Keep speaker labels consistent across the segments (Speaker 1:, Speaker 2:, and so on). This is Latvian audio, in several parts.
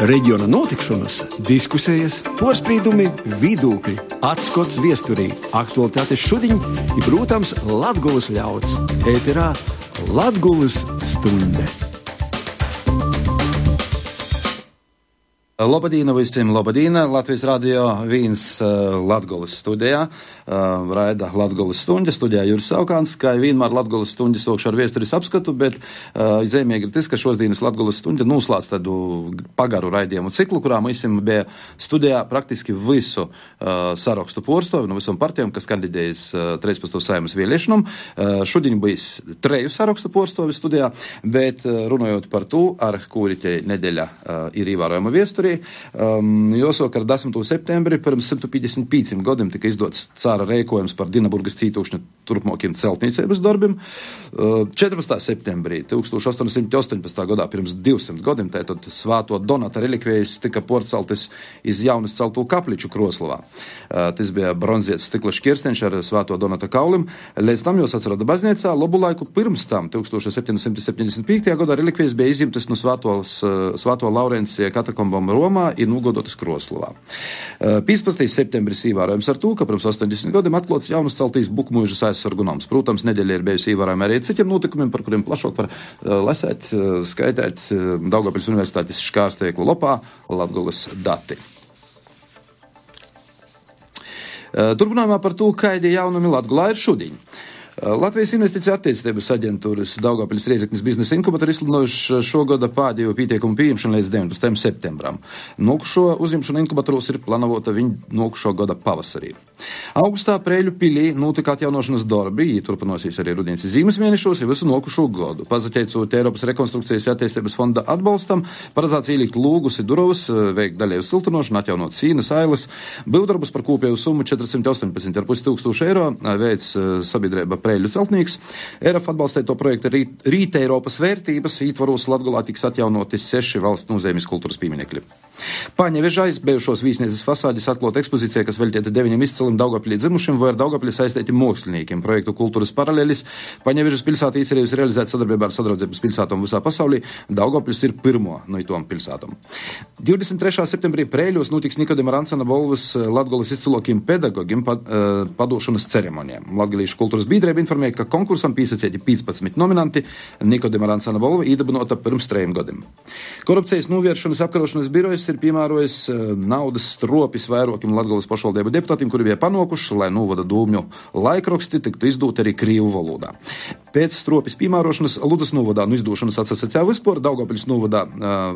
Speaker 1: Reģiona notikšanas, diskusijas, porspīdumi, vidūkļi, atskots viesturī, aktualitātes šudiņ i, protams, Latgulas ļauds. Ēterā Latgulas stunde.
Speaker 2: Labadīna visiem, labadīna. Latvijas radio viens Latgulas studijā. Raida Latgulas stuņģa, studijā Juris Saukāns, kā vienmēr Latgulas stuņģa sokšu ar viesturis apskatu, bet zīmīgi ir tas, ka šodienas Latgulas stuņģa noslēdz tādu pagaru raidījumu ciklu, kurā mēs bija studijā praktiski visu sarakstu porstovi no visam partijām, kas kandidējas 13. Saeimas vēlēšanām. Šodien bijis 3 sarakstu porstovi studijā, bet runājot par to, ar kuri te nedēļa ir ievērojama viesturi, jāsaka, ar 10. septembri pirms 155 gadiem tika izdots cara rēkojums par Dinaburgas cītūšņu turpmākiem celtniecības darbiem. 14. septembrī 1818. gadā pirms 200 gadiem tātad Svāto Donata relikvijas tika porceltas iz jaunas celtū kapliču Kroslavā. Tas bija bronzietis stikla škirsteņš ar Svāto Donata kaulim. Līdz tam jūs atsarada baznīcā. Labu laiku pirms tam 1775. gadā relikvijas bija izimtas no Svāto Laurencija katakombām Romā ir nogodotas Kroslavā. 15. septembris ievērojams ar to, ka pirms 80 gadiem atklāts jaunas celtīs Bukmuižas aizsargu nams. Protams, nedēļa ir bijusi ievērojama arī citiem notikumiem, par kuriem plašāk var lasēt, skaitēt Daugavpils Universitātes škārsteiklu lopā Latgulas dati. Turpinājumā par to, kādi jaunumi Latgulā ir šodien. Latvijas investīciju attīstības aģentūras Daugavpils Rēzeknes biznesa inkubatori izsludinājuši šogada pēdējo pieteikumu pieņemšanu līdz 19. septembram. Nokušo uzņemšanu inkubatoros ir plānota viņa nokušo gada pavasarī. Augustā Preļu pilī notika atjaunošanas darbi, turpinosies arī rudens zīmes mēnešos ir visu nokušo gadu. Pazateicot Eiropas rekonstrukcijas attīstības fonda atbalstam, paredzēts ielikt lūgus i durovas, veikt daļēju siltinošanu, atjaunot sīnas, ailes, būvdarbus par kopēju summu 418,5 tūkstoši eiro, veids sabiedrība Preļu celtnieks. ERF atbalstīja to projektu Rīta Eiropas vērtības, ītvaros Latgulā tiks atjaunoti 6 valsts nozīmes kultūras pieminekļi. Paņevežā izbijušos vīsniecības fasādes atklāta ekspozīcija, kas veltīta 9 izcilim Daugavpilī dzimušiem vai ar Daugavpilī saistītiem māksliniekiem. Projektu kultūras paralelis Paņevežas pilsēta iecerējusi realizēt sadarbībā ar sadraudzības pilsētām visā pasaulī. Daugavpils ir pirmo no itom pilsētām. 23. septembrī Preļos notiks Nikodima Rancana balvas Latgulas izcilokiem pedagogiem padošanas ceremonijām. Latgalīšu kultūras biedrība informēja, ka konkursam pīsacēti 15 nominanti. Nikodima Rancana balva iedibinota pirms 3 gadiem. Korupcijas novēršanas apkarošanas birojas ir piemērojis naudas stropis vairākiem Latgulas pašvaldību deputātiem, kuri bija panākuši, lai novada dūmju laikraksti tiktu izdot arī krievu valodā. Pēc stropis piemērošanas Ludzas novadā no izdošanas atsasacēja vispār, Daugavpils novadā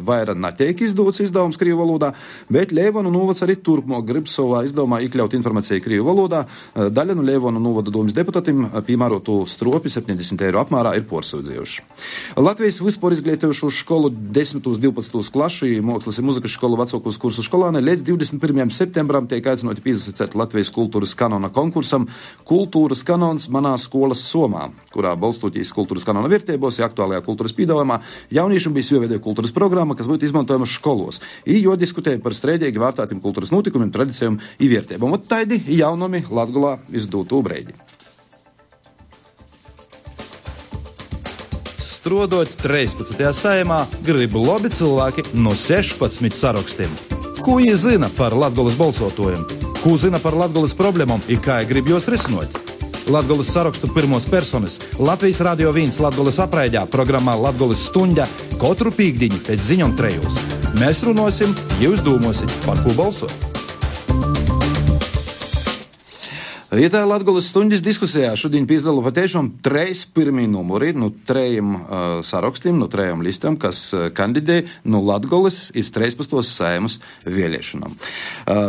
Speaker 2: vaira netiek izdots izdevums krievu valodā, bet Leivonu novads arī turpmāk grib savā izdevumā iekļaut informāciju krievu valodā. Daļa no Leivonu novada dūmas deputātiem piemērotu stropi 70 eiro apmērā ir porsūdzējuši. Latvijas vispār izglītojušu skolu 10. 12. klašu mākslas un muzikas skolu vecākos kursu skolāni līdz 21. septembram tiek aicināti piesaistīt Latvijas kultūras kanona konkursam Kultūras kanons manā skolas somā, kurā balstoties kultūras kanona vērtībos, aktuālajā kultūras piedāvājumā jauniešiem bija jāveido kultūras programma, kas būtu izmantojama skolos. Jo diskutēja par strēdīgi vērtētiem kultūras notikumiem, tradicijām un vērtībām. Ot taidi jaunumi Latgulā izdūtu breidi.
Speaker 3: Strodot 13. saimā grib labi cilvēki no 16 sarakstiem. Ko viņi zina par Latgulas balsotojiem? Ko zina par Latgulas problēmām un kā grib jos risinot? Latgulas sarakstu pirmos personas Latvijas radio 1 Latgulas apraidā programmā Latgulas stuņģa katru pīkdiņu pēc ziņom 3. Mēs runāsim, jūs domāsiet, par ko balsot.
Speaker 2: Ietā Latgulas stuņģis diskusijā šodien piedalās patiešām 3 pirmie numuri no 3 sarakstiem, no 3 listām, kas kandidē no Latgulas iz 13. Saeimas vēlēšanām.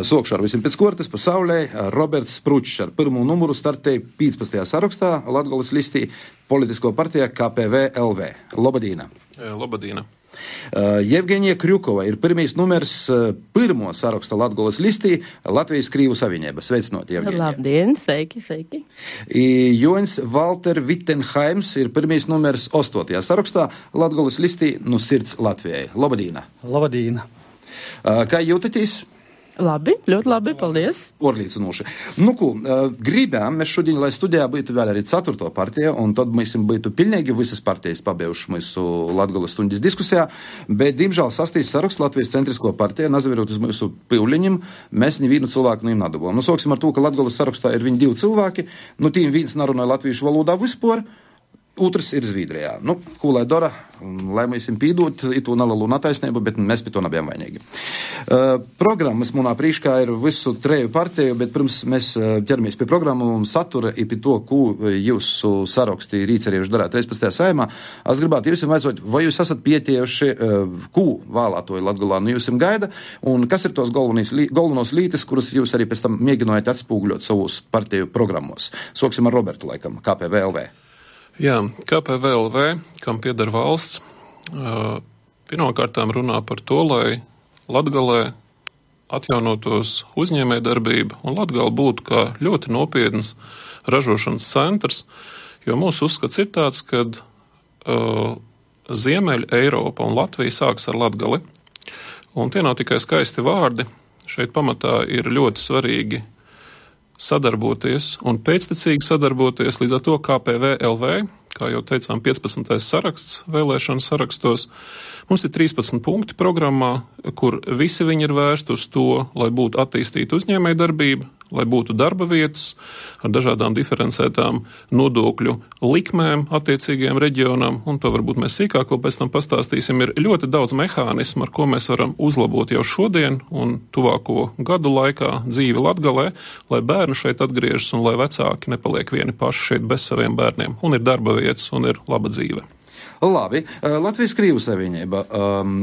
Speaker 2: Sokšu ar visiem pēc kortes pasaulē. Roberts Spručs ar pirmo numuru startēja 15. sarakstā Latgulas listī politisko partijā KPV LV. Labadīna.
Speaker 4: Labadīna.
Speaker 2: Jevgenija Krjukova ir pirmīs numers pirmo saraksta Latgulas listī Latvijas Krīvu savienība. Sveicinot, Jevgenija.
Speaker 5: Labdien, sveiki.
Speaker 2: Joņs Valter Vittenheims ir pirmīs numers 8. sarakstā Latgulas listī no Sirds Latvijai. Labadīna.
Speaker 6: Labadīna.
Speaker 2: Kā jūtaties?
Speaker 4: Labi, ļoti labi, paldies.
Speaker 2: Orlīcinoši. Nu, ko, gribējām mēs šodien, lai studijā būtu vēl arī 4. partija, un tad mēs būtu pilnīgi visas partijas pabeiguši mūsu Latgoles stundas diskusijā, bet, diemžēl, 6. saraksts Latvijas centrisko partija, nazavirot uz mūsu pīvliņiem, mēs nevienu cilvēku nedabūjām. Nu, sāksim ar to, ka Latgoles sarakstā ir viņi 2 cilvēki, nu, tīm viens narunāja latviešu valodā vispār, otrs ir Zviedrijā. Nu, ko lai dara, lai mēs viņam pīdot, itu nelalu nataisnību, bet mēs pie to nebijām vainīgi. Programmas munā prīškā ir visu 3 partiju, bet pirms mēs ķeramies pie programmu un satura i pie to, ko jūsu sarakstī rīcerieši darāt 13. saimā. Es gribētu jūs vaicot, vai jūs esat pietiejuši, ko vēlētoju Latgolā no jūs gaida, un kas ir tos galvenos lītes, kuras jūs arī pēc tam mēģinājāt atspūgļot savus partiju programmos. Soksim ar Robertu laikam, KPVLV.
Speaker 5: Jā, KPVLV, kam pieder valsts, pirmkārtām runā par to, lai Latgalē atjaunotos uzņēmējdarbība un Latgala būtu kā ļoti nopietns ražošanas centrs, jo mūsu uzskats ir tāds, ka Ziemeļa Eiropa un Latvija sāks ar Latgali, un tie nav tikai skaisti vārdi, šeit pamatā ir ļoti svarīgi sadarboties un pēctecīgi sadarboties, līdz ar to KPVLV, kā jau teicām, 15. saraksts vēlēšanu sarakstos. Mums ir 13 punkti programmā, kur visi viņi ir vērsti uz to, lai būtu attīstīta uzņēmējdarbība, lai būtu darba vietas ar dažādām diferencētām nodokļu likmēm attiecīgajiem reģionam, un to varbūt mēs sīkāk vēl pēc tam pastāstīsim. Ir ļoti daudz mehānismu, ar ko mēs varam uzlabot jau šodien un tuvāko gadu laikā dzīvi Latgalē, lai bērni šeit atgriežas un lai vecāki nepaliek vieni paši šeit bez saviem bērniem, un ir darba vietas un ir laba dzīve.
Speaker 2: Labi, Latvijas Krīvu savienība.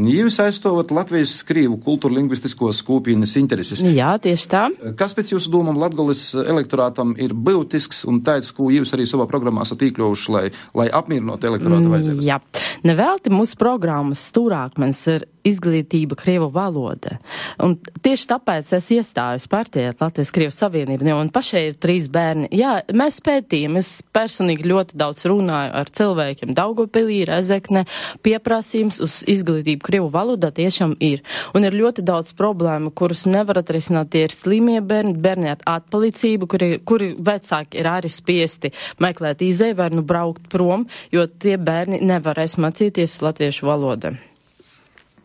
Speaker 2: Jūs aizstāvat Latvijas Krīvu kultūra-lingvistiskos kopienas intereses.
Speaker 4: Jā, tieši tā.
Speaker 2: Kas pēc jūsu domām Latgoles elektorātam ir būtisks un tāds, ko jūs arī savā programmā esat iekļaujuši, lai apmierinātu elektorāta vajadzības?
Speaker 4: Jā, nevelti mūsu programmas stūrākmens ir izglītība Krievu valoda. Un tieši tāpēc es iestājos partijā Latvijas Krievu savienība, un pašai ir 3 bērni. Jā, mēs pētījām, es personīgi ļoti daudz runāju ar cilvēkiem Daugavpilī, Rezekne, pieprasījums uz izglītību Krievu valodā tiešām ir. Un ir ļoti daudz problēmu, kurus nevar atrisināt, tie ir slimie bērni, bērni ar atpalicību, kuri vecāki ir arī spiesti meklēt izēju vai nu braukt prom, jo tie bērni nevarēs mācīties latviešu valodu.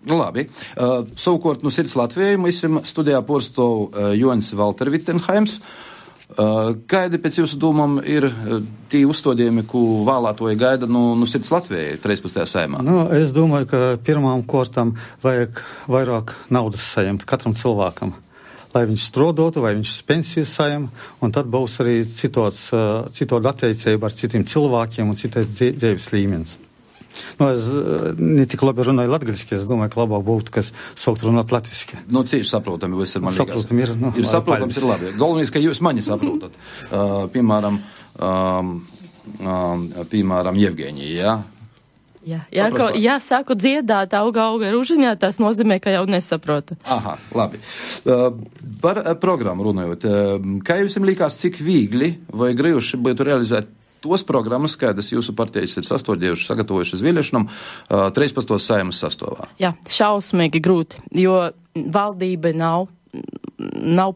Speaker 2: Labi. Savukārt no Sirds Latvijai mēs studijā porstov Jonis Valter Vittenheims. Kādi pēc jūsu domām ir tie uzstādījumi, ko vēlētoji gaida no Sirds Latvijai 13. saimā?
Speaker 6: Nu, es domāju, ka pirmām kārtām vajag vairāk naudas saņemt katram cilvēkam, lai viņš strodotu, vai viņš pensiju saņem, un tad būs arī citāda attiecība ar citiem cilvēkiem un citais dzīves līmenis. Nu, es ne tik labi runāju latgaliski, es domāju, ka labāk būtu, kas sākt runāt latviski.
Speaker 2: Nu, cieši saprotami, viss ir man liekas.
Speaker 6: Saprotami ir, nu,
Speaker 2: ir saprotams, ir labi. Galvenais, ka jūs mani saprotat. Piemēram, Jevgeņija, jā?
Speaker 4: Jā, sāku dziedāt auga ružiņā, tas nozīmē, ka jau nesaprotu.
Speaker 2: Aha, labi. Par programmu runājot, kā jums likās, cik viegli vai grījuši būtu realizēt tos programmas, kādas jūsu partijas ir sastādījušas, sagatavojušas vēlēšanām 13. saimas sastāvā?
Speaker 4: Jā, šausmīgi grūti, jo valdība nav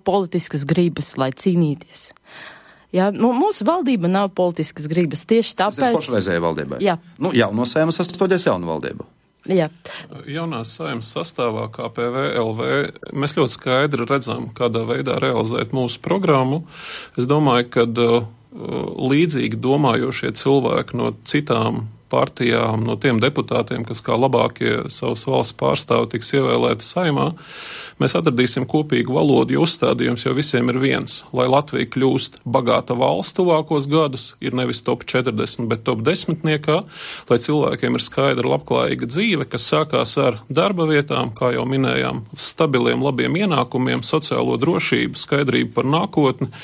Speaker 4: politiskas gribas, lai cīnīties. Jā, mūsu valdība nav politiskas gribas, tieši tāpēc...
Speaker 2: Tas ir pašreizējā valdībai?
Speaker 4: Jā.
Speaker 2: Nu, jauno saimas sastādījās jaunu valdību?
Speaker 4: Jā.
Speaker 5: Jaunās saimas sastāvā KPVLV mēs ļoti skaidri redzam, kādā veidā realizēt mūsu programmu. Es domāju, ka līdzīgi domājošie cilvēki no citām partijām, no tiem deputātiem, kas kā labākie savas valsts pārstāvi tiks ievēlēti saimā, mēs atradīsim kopīgu valodu, jo uzstādījums jau visiem ir viens. Lai Latvija kļūst bagāta valsts tuvākos gadus, ir nevis top 40, bet top 10, lai cilvēkiem ir skaidra labklājīga dzīve, kas sākās ar darba vietām, kā jau minējām, stabiliem, labiem ienākumiem, sociālo drošību, skaidrību par nākotni.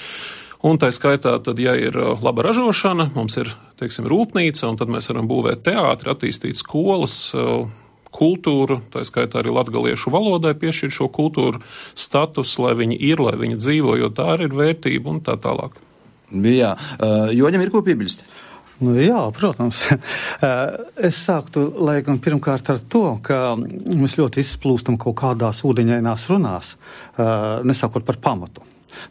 Speaker 5: Un tā skaitā, tad, ja ir laba ražošana, mums ir, teiksim, rūpnīca, un tad mēs varam būvēt teātri, attīstīt skolas, kultūru, tā skaitā arī latgaliešu valodai piešķirt šo kultūru status, lai viņi ir, lai viņi dzīvo, jo tā arī ir vērtība un tā tālāk.
Speaker 2: Jā, Joņam ir ko piebilst?
Speaker 6: Nu, jā, protams. Es sāktu, laikam, pirmkārt ar to, ka mēs ļoti izplūstam kaut kādās ūdeņainās runās, nesākot par pamatu.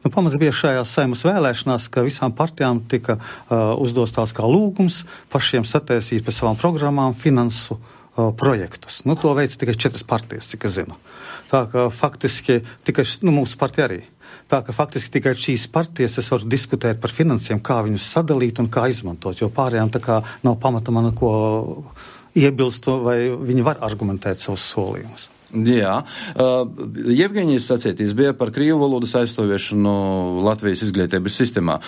Speaker 6: Nu, pamats bija šajās Saeimas vēlēšanās, ka visām partijām tika uzdos tās kā lūgums pašiem sataisīt pēc savām programmām finansu projektus. Nu, to veids tikai 4 partijas, cik es zinu. Tā ka faktiski tikai, mūsu partija arī. Tā ka faktiski tikai šīs partijas es varu diskutēt par finansiem, kā viņus sadalīt un kā izmantot, jo pārējām tā kā nav pamata man ko iebilst, vai viņi var argumentēt savus solījumus.
Speaker 2: Jā. Jevgeņijas sacītīs bija par krievu valodas aizstāviešanu Latvijas izglītības sistēmā.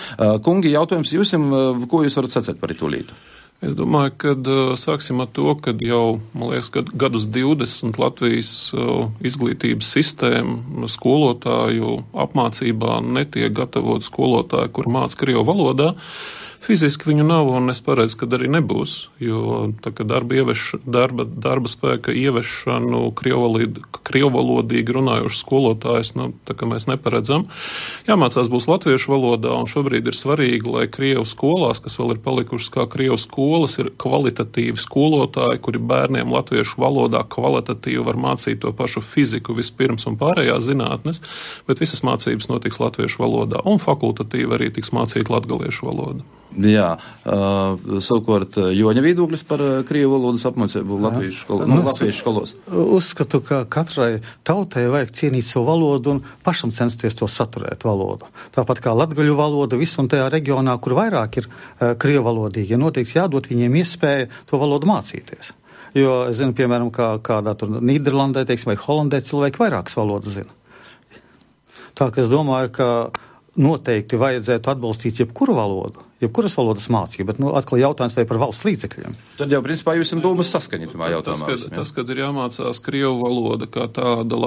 Speaker 2: Kungi, jautājums jūsim, ko jūs varat sacīt par itu lītu?
Speaker 5: Es domāju, ka sāksim ar to, ka jau, man liekas, gadus 20 Latvijas izglītības sistēma skolotāju apmācībā netiek gatavot skolotāju, kur māca krievu valodā. Fiziski viņu nav, un es paredzu, ka arī nebūs, jo tā kā darba spēka ieviešanu krievvalodīgi runājuši skolotājus, tā kā mēs neparedzam. Jāmācās būs latviešu valodā, un šobrīd ir svarīgi, lai krievu skolās, kas vēl ir palikušas kā krievu skolas, ir kvalitatīvi skolotāji, kuri bērniem latviešu valodā kvalitatīvi var mācīt to pašu fiziku vispirms un pārējās zinātnes, bet visas mācības notiks latviešu valodā, un fakultatīvi arī tiks mācīt latgaliešu valodu.
Speaker 2: Jā, savukārt Joņa viedoklis par krievu valodas apmācību latviešu skolos.
Speaker 6: Uzskatu, ka katrai tautai vajag cienīt savu valodu un pašam censties to saturēt valodu. Tāpat kā latgaļu valoda visu un tajā reģionā, kur vairāk ir krievu valodīgi, noteikti jādod viņiem iespēja to valodu mācīties. Jo, es zinu, piemēram, kādā tur Nīderlandē, teiksim, vai Holandē cilvēki vairākas valodas zina. Tā, ka es domāju, ka noteikti vajadzētu atbalstīt jebkuru valodu, jebkuras valodas mācību, bet, atkal jautājums vai par valsts līdzekļiem.
Speaker 2: Tad jau, principā, jūs esam domas saskaņotumā jautājumā.
Speaker 5: Tas, kad ir jāmācās krievu valoda, kā tāda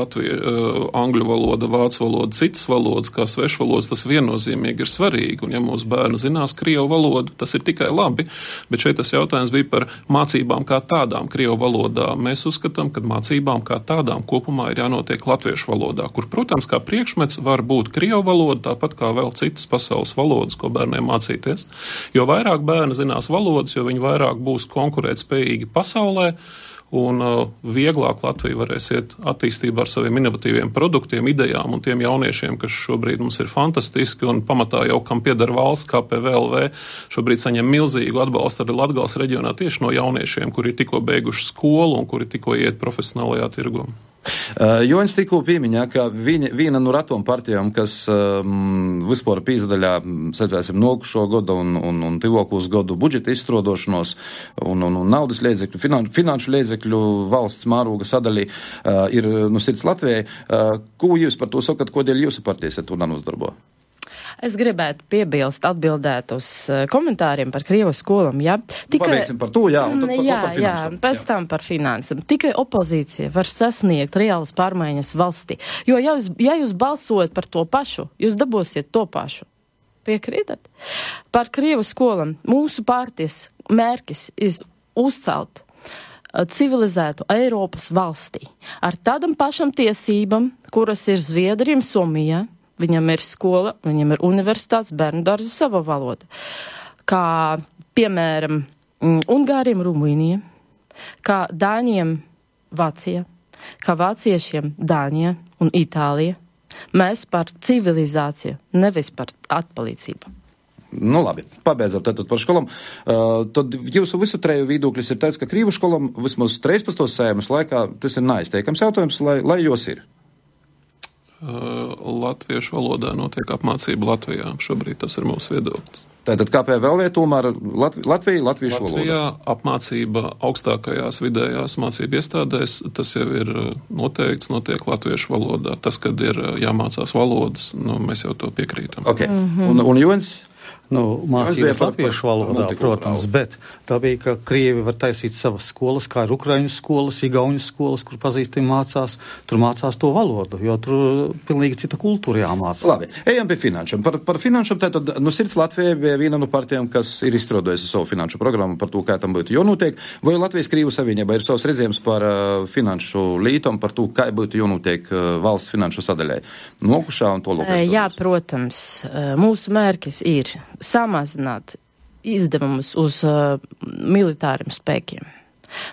Speaker 5: angļu valoda, vācu valoda, citas valodas, kā svešvalodas, tas viennozīmīgi ir svarīgi, un ja mūsu bērni zinās krievu valodu, tas ir tikai labi, bet šeit tas jautājums bija par mācībām kā tādām krievu valodā. Mēs uzskatām, ka mācībām kā tādām kopumā ir jānotiek latviešu valodā, kur, protams, kā priekšmets var būt krievu valoda, tāpat kā vēl citas pasaules valodas, ko bērniem mācīties. Jo vairāk bērni zinās valodas, jo viņi vairāk būs konkurētspējīgi pasaulē, un vieglāk Latvija varēs iet attīstībā ar saviem inovatīviem produktiem, idejām un tiem jauniešiem, kas šobrīd mums ir fantastiski, un pamatā jau, kam pieder valsts, KPVLV, šobrīd saņem milzīgu atbalstu arī Latgales reģionā tieši no jauniešiem, kuri ir tikko beiguši skolu un kuri tikko iet profesionālajā tirgū.
Speaker 2: Joņs tikko piemiņā, ka viena no ratām partijām, kas vispār pīzdaļā, sacēsim, nokušo godu un tivokūs godu budžeta izstrādošanos un naudas līdzekļu, finanšu līdzekļu valsts mēroga sadalī ir sirds Latvijai. Ko jūs par to sakat, kodēļ jūsu partijas ar to nenuzdarbo?
Speaker 4: Es gribētu piebilst, atbildēt uz komentāriem par krievu skolām, jā.
Speaker 2: Pabeigsim par to, jā, un tad par finansam.
Speaker 4: Pēc tam par finansam. Tikai opozīcija var sasniegt reālas pārmaiņas valstī. Jo, ja jūs balsojat par to pašu, jūs dabūsiet to pašu. Piekrītat? Par krievu skolām mūsu partijas mērķis ir uzcelt civilizētu Eiropas valstī ar tādam pašam tiesībām, kuras ir Zviedriem, Somijā. Viņam ir skola, viņam ir universitātes, bērnu dārza sava valoda. Kā, piemēram, Ungāriem, Rumīnija, kā Dāņiem, Vācija, kā vāciešiem, Dāņija un Itālija. Mēs par civilizāciju, nevis par atpalīdzību.
Speaker 2: Nu labi, pabeidzam tātad par školām. Tad jūsu visu treju viedoklis ir tāds, ka krīvu školām vismaz 13. Saeimas laikā tas ir neizteikams jautājums, lai jos ir.
Speaker 5: Latviešu valodā notiek apmācība Latvijā. Šobrīd tas ir mūsu viedoklis.
Speaker 2: Tātad KPVLV tomēr latviešu valodā?
Speaker 5: Latvijā apmācība augstākajās vidējās mācību iestādēs, tas jau ir noteikts, notiek latviešu valodā. Tas, kad ir jāmācās valodas, mēs jau to piekrītam.
Speaker 2: Okay. Un Joņs?
Speaker 6: Mācības latviešu valodā, protams, bet tā bija, ka Krievi var taisīt savas skolas, kā ir ukraiņu skolas, igauņu skolas, kur pazīstami mācās, tur mācās to valodu, jo tur pilnīgi cita kultūra jāmācā.
Speaker 2: Labi, ejam pie finanšam. Par finanšam tātad, sirds Latvijai bija viena no partijām, kas ir izstrādājusi savu finanšu programmu par to, kā tam būtu jānotiek, vai Latvijas Krievu savienībā ir savs redzējums par finanšu lītom, par to, kā būtu jānotiek valsts finanšu sadaļai. Nokušā un to lūk.
Speaker 4: Jā, protams, mūsu mērķis ir samazināt izdevumus uz militāriem spēkiem.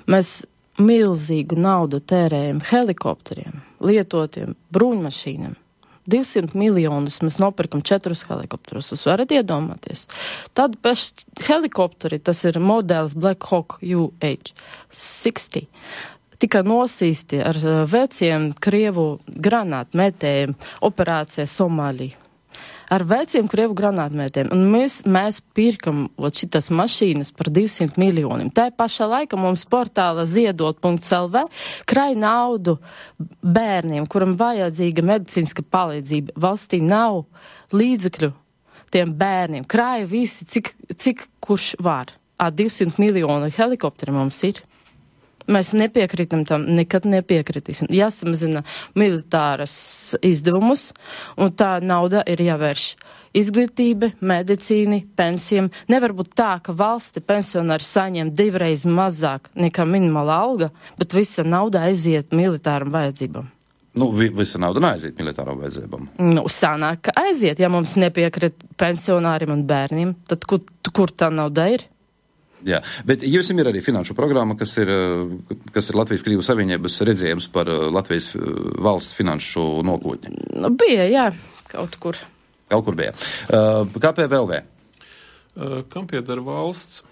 Speaker 4: Mēs milzīgu naudu tērējam helikopteriem, lietotiem bruņmašīnām. 200 miljonus mēs nopirkam 4 helikopterus. Jūs varat iedomāties. Tad paši helikopteri, tas ir modelis Black Hawk UH-60. Tika nosīsti ar veciem Krievu granātmetējiem operācijā Somālija. Ar veciem Krievu granātmetējiem. Un mēs pirkam šitas mašīnas par 200 miljoniem. Tā pašā laika mums portāla ziedot.lv krāj naudu bērniem, kuram vajadzīga medicīniska palīdzība. Valstī nav līdzekļu tiem bērniem. Krāja visi, cik kurš var. 200 miljonu helikopteri mums ir. Mēs nepiekritam tam, nekad nepiekritīsim. Jāsamazina militāras izdevumus, un tā nauda ir jāvērš izglītība, medicīni, pensijām. Nevar būt tā, ka valsti pensionāri saņem 2 reizes mazāk nekā minimāla alga, bet visa nauda aiziet militāram vajadzībām.
Speaker 2: Visa nauda neaiziet militāram vajadzībām.
Speaker 4: Sanāk, ka aiziet, ja mums nepiekrit pensionāriem un bērniem, tad kur tā nauda ir?
Speaker 2: Jā, bet jums ir arī finanšu programma, kas ir Latvijas Krievu Savienības redzējums par Latvijas valsts finanšu nākotni.
Speaker 4: Bija, jā, kaut kur.
Speaker 2: Kaut kur bija. KPVLV.
Speaker 5: Kam pieder valsts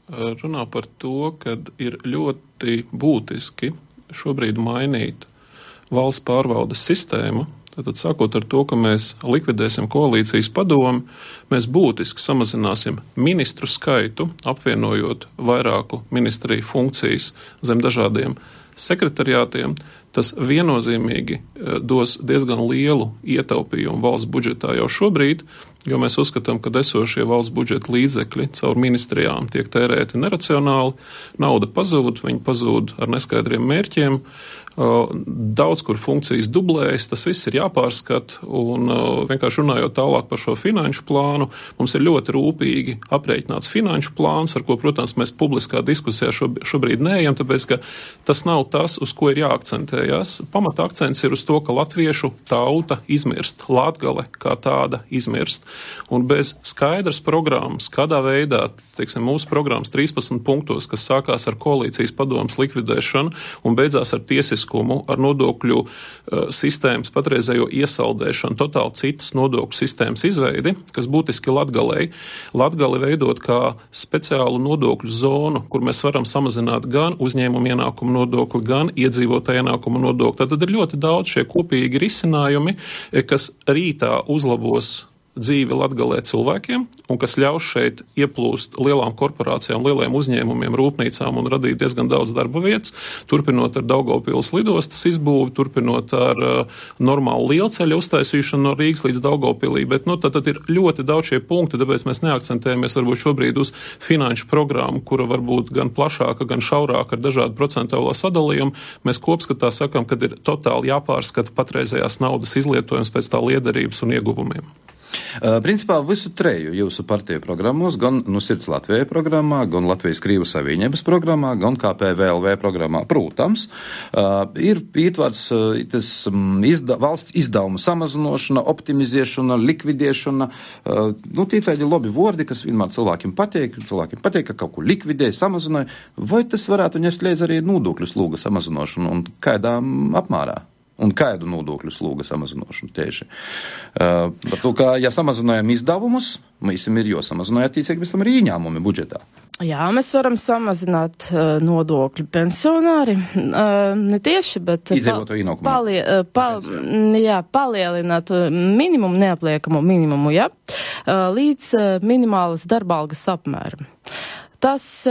Speaker 5: runā par to, ka ir ļoti būtiski šobrīd mainīt valsts pārvaldes sistēmu. Tātad sākot ar to, ka mēs likvidēsim koalīcijas padomu, mēs būtiski samazināsim ministru skaitu, apvienojot vairāku ministriju funkcijas zem dažādiem sekretariātiem. Tas viennozīmīgi dos diezgan lielu ietaupījumu valsts budžetā jau šobrīd, jo mēs uzskatām, ka esošie valsts budžeta līdzekļi caur ministrijām tiek tērēti neracionāli, nauda pazūd, viņi pazūd ar neskaidriem mērķiem, daudz kur funkcijas dublējas, tas viss ir jāpārskata, un vienkārši runājot tālāk par šo finanšu plānu, mums ir ļoti rūpīgi aprēķināts finanšu plāns, ar ko, protams, mēs publiskā diskusijā šobrīd neejam, tāpēc, ka tas nav tas, uz ko ir jāakcentējas. Pamata akcents ir uz to, ka latviešu tauta izmirst, Latgale kā tāda izmirst, un bez skaidras programmas, kādā veidā, teiksim, mūsu programmas 13 punktos, kas sākās ar koalīcijas padomas likvidēšanu un beidzās ar tiesisku ar nodokļu sistēmas patreizējo iesaldēšanu, totāli citas nodokļu sistēmas izveidi, kas būtiski Latgali veidot kā speciālu nodokļu zonu, kur mēs varam samazināt gan uzņēmumu ienākumu nodokli, gan iedzīvotāju ienākumu nodokli. Tad ir ļoti daudz šie kopīgi risinājumi, kas rītā uzlabos dzīvi Latgalē cilvēkiem un kas ļaus šeit ieplūst lielām korporācijām, lieliem uzņēmumiem, rūpnīcām un radīt diezgan daudz darba vietas, turpinot ar Daugavpils lidostas izbūvi, turpinot ar normālu lielceļu uztaisīšanu no Rīgas līdz Daugavpilī, bet tad ir ļoti daudz šie punkti, tāpēc mēs neakcentējamies varbūt šobrīd uz finanšu programmu, kura varbūt gan plašāka, gan šaurāka ar dažādu procentuālo sadalījumu. Mēs kopskatā sakam, ka ir totāli jāpārskata patreizējās naudas izlietojums pēc tā liederības un ieguvumiem.
Speaker 2: Principā visu treju jūsu partiju programmos, gan Sirds Latvijai programmā, gan Latvijas Krievu Savienības programmā, gan KPVLV programmā, protams, ir ietvarts tas valsts izdevumu samazinošana, optimizēšana, likvidēšana, tie tādi labi vordi, kas vienmēr cilvēkiem patīk, ka kaut ko likvidē, samazināja, vai tas varētu ņest līdz arī nodokļu slūga samazinošanu un kādā apmērā? Un kādu nodokļu slūga samazinošanu tieši. Par to, ka, ja samazinājam izdevumus, mēs ir jāsamazināja attiecīgi pēc tam arī ieņēmumi budžetā.
Speaker 4: Jā, mēs varam samazināt nodokļu pensionāri, ne tieši, bet palielināt minimumu, neapliekamo minimumu, līdz minimālas darbalgas apmēram. Tas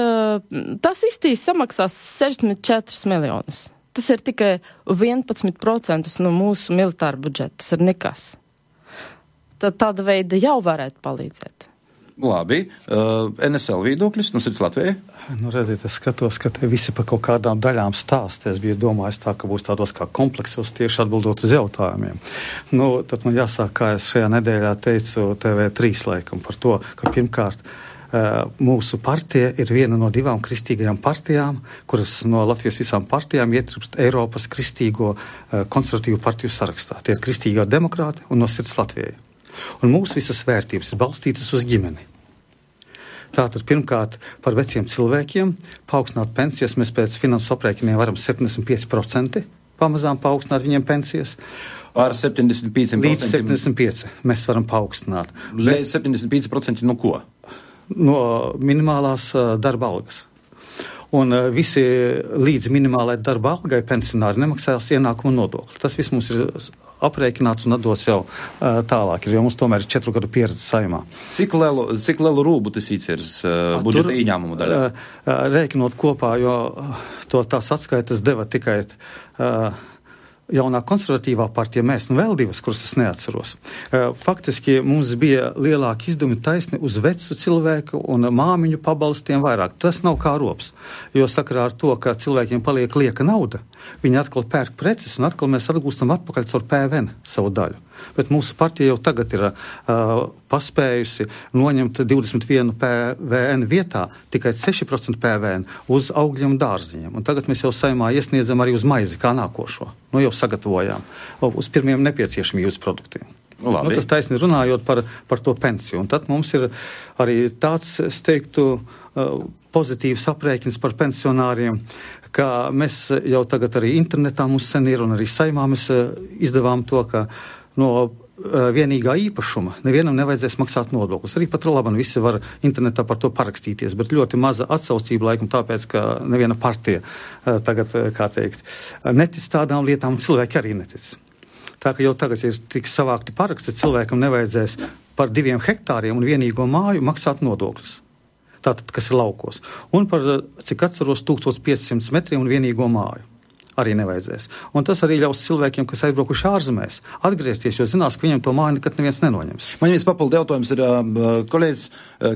Speaker 4: īstīs samaksās 64 miljonus. Tas ir tikai 11% no mūsu militāra budžeta. Tas ir nekas. Tad tāda veida jau varētu palīdzēt.
Speaker 2: Labi. NSL viedokļus, Sirds Latvijai?
Speaker 6: Redziet, es skatos, ka te visi par kaut kādām daļām stāst. Es biju domājis tā, ka būs tādos kā kompleksos tieši atbildot uz jautājumiem. Tad man jāsāk, kā es šajā nedēļā teicu TV3 laikam par to, ka pirmkārt mūsu partija ir viena no 2 kristīgajām partijām, kuras no Latvijas visām partijām ietilpst Eiropas kristīgo konservatīvu partiju sarakstā. Tie ir kristīgā demokrāti un no Sirds Latvijai. Un mūsu visas vērtības ir balstītas uz ģimeni. Tātad pirmkārt par veciem cilvēkiem paaugstināt pensijas, mēs pēc finansu aprēķiniem varam 75% pamazām paaugstināt viņiem pensijas.
Speaker 2: Par 75%.
Speaker 6: Līdz 75% mēs varam paaugstināt.
Speaker 2: Līdz 75% no ko?
Speaker 6: No minimālās darba algas. Un visi līdz minimālai darba algai pensionāri nemaksās ienākumu nodokli. Tas viss mums ir aprēķināts un atdots jau tālāk, jo mums tomēr ir 4 gadu pieredze Saeimā.
Speaker 2: Cik lielu rūbu tas īceres budžeta ieņēmumu daļā?
Speaker 6: Rēķinot kopā, jo tās atskaitas deva tikai jaunā konservatīvā partija, mēs un vēl divas, kuras es neatceros. Faktiski mums bija lielāki izdevumi taisni uz vecu cilvēku un māmiņu pabalstiem vairāk. Tas nav kā rops, jo sakarā ar to, ka cilvēkiem paliek lieka nauda, viņi atkal pērk preces un atkal mēs atgūstam atpakaļ caur PVN savu daļu. Bet mūsu partija jau tagad ir paspējusi noņemt 21 PVN vietā tikai 6% PVN uz augļiem un dārziņiem. Un tagad mēs jau Saeimā iesniedzam arī uz maizi kā nākošo. Jau sagatavojām uz pirmiem nepieciešamības produktiem. Tas taisni runājot par to pensiju. Un tad mums ir arī tāds, es teiktu, pozitīvs aprēķins par pensionāriem, ka mēs jau tagad arī internetā mums sen ir un arī Saeimā mēs izdevām to, ka no vienīgā īpašuma nevienam nevajadzēs maksāt nodokļus. Arī pat labam visi var internetā par to parakstīties, bet ļoti maza atsaucība laikam tāpēc, ka neviena partija tagad, kā teikt, netic tādām lietām, un cilvēki arī netic. Tā ka jau tagad ir tik savākti paraksti, cilvēkam nevajadzēs par 2 hektāriem un vienīgo māju maksāt nodokļus. Tātad, kas ir laukos. Un par, cik atceros, 1500 metriem un vienīgo māju. Arī nevajadzēs. Un tas arī ļaus cilvēkiem, kas aizbraukuši ārzemēs, atgriezties, jo zinās, ka viņam to māju nekad neviens nenoņems.
Speaker 2: Man viens papildu jautājums ir kolēģis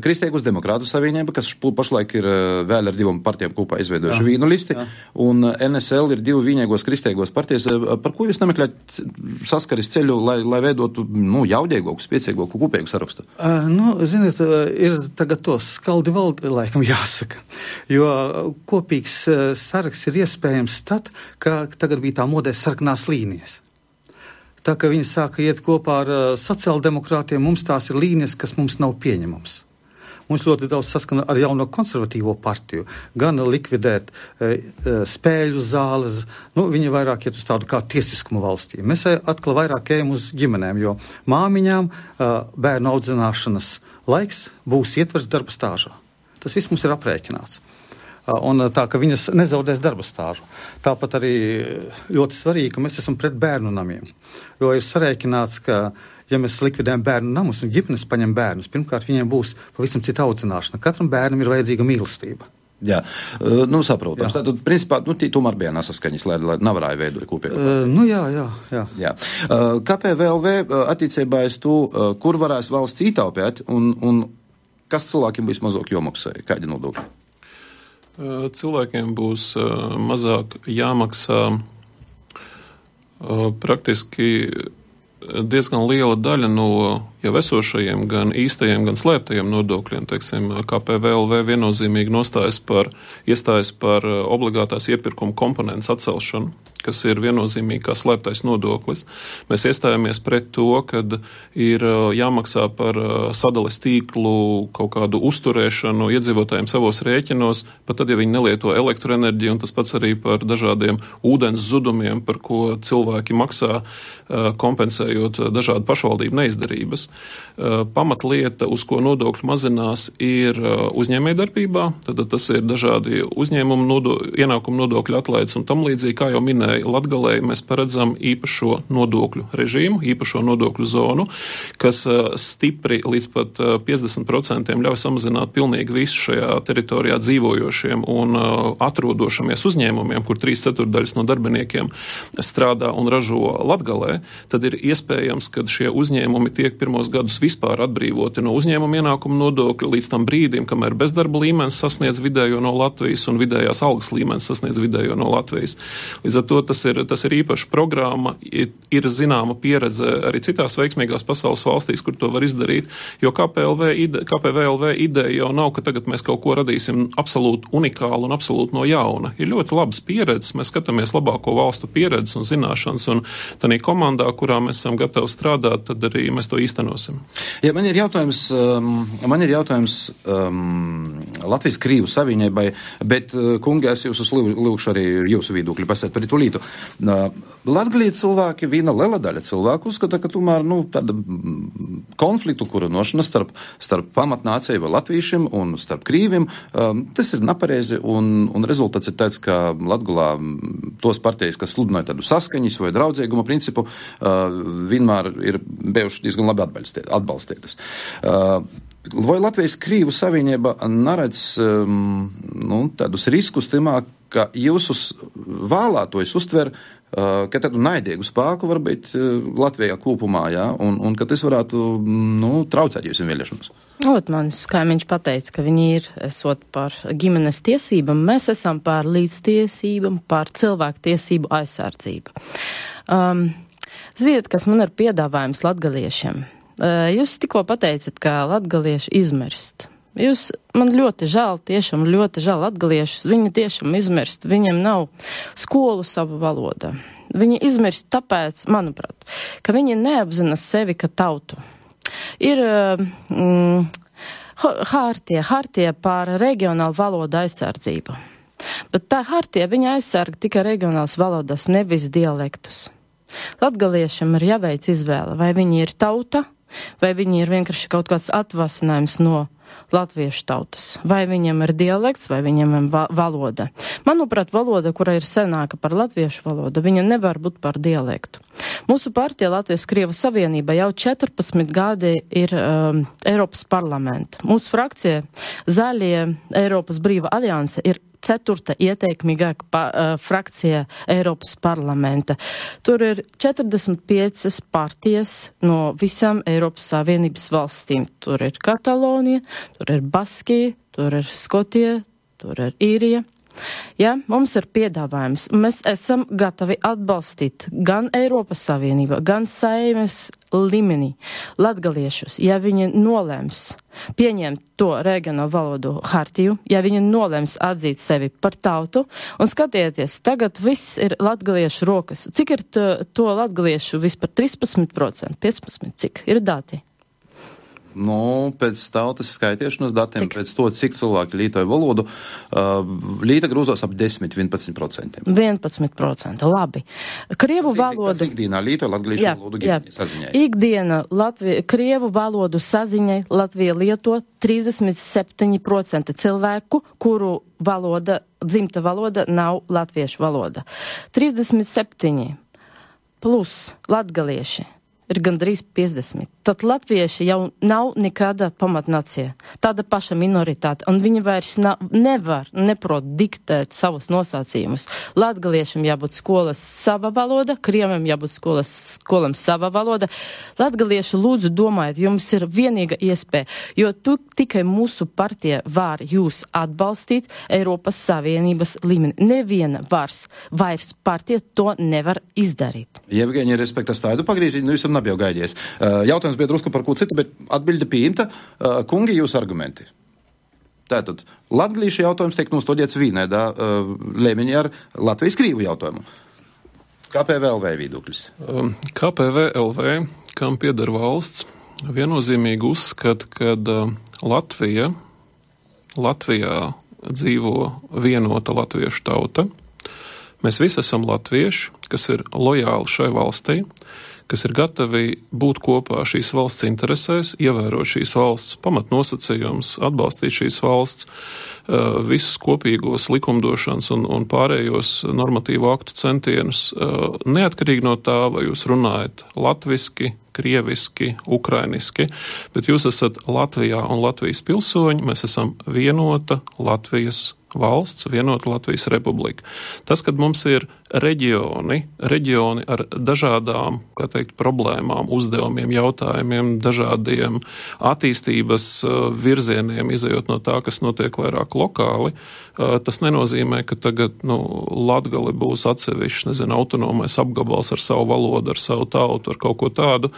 Speaker 2: Kristīgus Demokrātu savienība, kas pašlaik ir vēl ar 2 partijām kopā izveidojuši vīnu listi, un NSL ir 2 vienīgos kristīgos partijas. Par ko jūs nemeklējat saskaris ceļu, lai veidotu jaudīgāku, spēcīgāku, kopīgu sarakstu?
Speaker 6: Ziniet, ir tagad to skaldi valdi, laikam jāsaka, jo kopīgs saraksts ir iespējams tad, ka tagad bija tā modē sarkanās līnijas. Tā, ka viņi sāka iet kopā ar sociāldemokrātiem, mums tās ir līnijas, kas mums nav pieņemams. Mums ļoti daudz saskana ar jauno konservatīvo partiju, gan likvidēt spēļu zāles, viņi vairāk iet uz tādu kā tiesiskumu valstī. Mēs atkal vairāk ejam uz ģimenēm, jo māmiņām bērnu audzināšanas laiks būs ietvers darba stāžā. Tas viss mums ir aprēķināts. Un tā, ka viņas nezaudēs darba stāžu. Tāpat arī ļoti svarīgi, ka mēs esam pret bērnu namiem. Jo ir sarēķināts, ka, ja mēs likvidējam bērnu namus un ģimenes paņem bērnus, pirmkārt viņiem būs pavisam cita audzināšana. Katram bērnam ir vajadzīga mīlestība.
Speaker 2: Jā, saprotams. Tātad, principā, tomēr bija nesaskaņas, lai nevarēja veidot kopīgi.
Speaker 6: Jā.
Speaker 2: KPVLV attiecībā uz to, kur varēs valsts ietaupīt un kas cilvēkiem būs mazāk jomaksāja, kādi nodokļi?
Speaker 5: Cilvēkiem būs mazāk jāmaksā praktiski diezgan liela daļa no jau esošajiem, gan īstajiem, gan slēptajiem nodokļiem. Teiksim, KPVLV viennozīmīgi iestājas par obligātās iepirkuma komponentes atcelšanu, kas ir viennozīmīgi kā slēptais nodoklis. Mēs iestājāmies pret to, kad ir jāmaksā par sadales tīklu kaut kādu uzturēšanu iedzīvotājiem savos rēķinos, pat tad, ja viņi nelieto elektroenerģiju, un tas pats arī par dažādiem ūdens zudumiem, par ko cilvēki maksā, kompensējot dažādu pašvaldību neizdarības. Pamatlieta, uz ko nodokļi mazinās, ir uzņēmējdarbībā, tad tas ir dažādi ienākumu nodokļu atlaides un tam līdzīgi, kā jau minēja Latgalē, mēs paredzam īpašo nodokļu režīmu, īpašo nodokļu zonu, kas stipri līdz pat 50% ļauj samazināt pilnīgi visu šajā teritorijā dzīvojošiem un atrodošamies uzņēmumiem, kur 3/4 no darbiniekiem strādā un ražo Latgalē, tad ir iespējams, ka šie uzņēmumi tiek pirmos gadus vispār atbrīvoti no uzņēmuma ienākuma nodokļa līdz tam brīdim, kamēr bezdarba līmenis sasniedz vidējo no Latvijas un vidējās algas līmenis sasniedz vidējo no Latvijas. Līdz ar to to tas ir īpaša programma, ir zināma pieredze arī citās veiksmīgās pasaules valstīs, kur to var izdarīt, jo KPVLV ideja jau nav, ka tagad mēs kaut ko radīsim absolūti unikālu un absolūti no jauna. Ir ļoti labas pieredzes, mēs skatāmies labāko valstu pieredzes un zināšanas, un tādā komandā, kurā mēs esam gatavi strādāt, tad arī mēs to īstenosim.
Speaker 2: Ja, man ir jautājums Latvijas-Krīvu savienībai, bet, kungi, es jūs lūkšu arī jūsu viedokļi pasēt par itulītu. Latgalī cilvēki, viena liela daļa cilvēku uzskata, ka tomēr, tāda konfliktu kurinošana starp pamatnāciju vai latviešiem un starp krīviem, tas ir nepareizi, un rezultāts ir tāds, ka Latgulā tos partijas, kas sludināja tādu saskaņas vai draudzīguma principu, vienmēr ir bijuši diezgan labi atbalstītas. Vai Latvijas-Krīvu savienība neredz tādus riskus timā, ka jūsu vēlētojs uztver ka tādu naidīgu spēku var būt Latvijā kopumā, ja? un ka tas varētu traucēt jūsu vēlēšanos?
Speaker 4: Mans kaimiņš pateica, ka viņi ir esot par ģimenes tiesībām, mēs esam par līdztiesībām, par cilvēku tiesību aizsardzību. Ziniet, kas man ir piedāvājums latgaliešiem? Jūs tikko pateicat, ka latgalieši izmirst. Man ļoti žēl, tiešām ļoti žēl latgaliešus, viņi tiešām izmirst, viņiem nav skolu sava valoda. Viņi izmirst tāpēc, manuprāt, ka viņi neapzina sevi kā tautu. Ir hartija par regionālu valodu aizsardzību, bet tā hartija viņa aizsarga tikai regionālas valodas, nevis dialektus. Latgaliešiem ir jāveic izvēle, vai viņi ir tauta, vai viņi ir vienkārši kaut kāds atvasinājums no latviešu tautas. Vai viņam ir dialekts, vai viņam ir valoda. Manuprāt, valoda, kura ir senāka par latviešu valodu, viņa nevar būt par dialektu. Mūsu partija Latvijas-Krievu savienība jau 14 gadi ir Eiropas parlamenta. Mūsu frakcija Zaļie Eiropas brīva alianse ir 4. ieteikmīgāka frakcija Eiropas parlamenta. Tur ir 45 partijas no visām Eiropas Savienības valstīm. Tur ir Katalonija, tur ir Baskija, tur ir Skotija, tur ir Īrija. Ja, mums ir piedāvājums. Mēs esam gatavi atbalstīt gan Eiropas Savienību, gan Saeimes līmenī latgaliešus, ja viņi nolēms pieņemt to regionālu valodu hartiju, ja viņi nolēms atzīt sevi par tautu, un skatieties, tagad viss ir latgaliešu rokas. Cik ir to latgaliešu vispār 13%, 15%, cik ir dati?
Speaker 2: Pēc tautas skaitiešanas datiem, pēc to, cik cilvēki lietoja valodu, līta grūzos ap 10-11%. 11%,
Speaker 4: labi. Krievu valoda...
Speaker 2: Tas ikdienā lietoja latgaliešu valodu saziņai.
Speaker 4: Ikdiena krievu valodu saziņai Latvija lieto 37% cilvēku, kuru dzimta valoda nav latviešu valoda. 37 plus latgalieši ir gandrīz 50. Tad latvieši jau nav nekāda pamatnacija, tāda paša minoritāte, un viņi vairs neprot diktēt savus nosacījumus. Latgaliešiem jābūt skolas sava valoda, krieviem jābūt skolam sava valoda. Latgalieši lūdzu domājiet, jums ir vienīga iespēja, jo tikai mūsu partija var jūs atbalstīt Eiropas Savienības līmeni. Neviena vairs partija to nevar izdarīt.
Speaker 2: Jevgeņi, respektas tādu pagrīziņu, jūs nav jau gaidies. Jautājums bija drusku par ko citu, bet atbilde pieņemta. Kungi, jūs argumenti. Tātad, latgalīšu jautājums tiek nostodiets vienādā līmeņā ar Latvijas-Krīvu jautājumu. KPVLV viedoklis.
Speaker 5: KPVLV, kam pieder valsts, viennozīmīgi uzskata, ka Latvijā dzīvo vienota latviešu tauta. Mēs visi esam latvieši, kas ir lojāli šai valstī, kas ir gatavi būt kopā šīs valsts interesēs, ievērot šīs valsts pamatnosacījumus, atbalstīt šīs valsts visus kopīgos likumdošanas un pārējos normatīvu aktu centienus, neatkarīgi no tā, vai jūs runājat latviski, krieviski, ukrainiski, bet jūs esat Latvijā un Latvijas pilsoņi, mēs esam vienota Latvijas valsts, vienota Latvijas republika. Tas, kad mums ir reģioni ar dažādām, kā teikt, problēmām, uzdevumiem, jautājumiem, dažādiem attīstības virzieniem, izejot no tā, kas notiek vairāk lokāli, tas nenozīmē, ka tagad, Latgale būs atsevišķi, autonomais apgabals ar savu valodu, ar savu tautu, ar kaut ko tādu,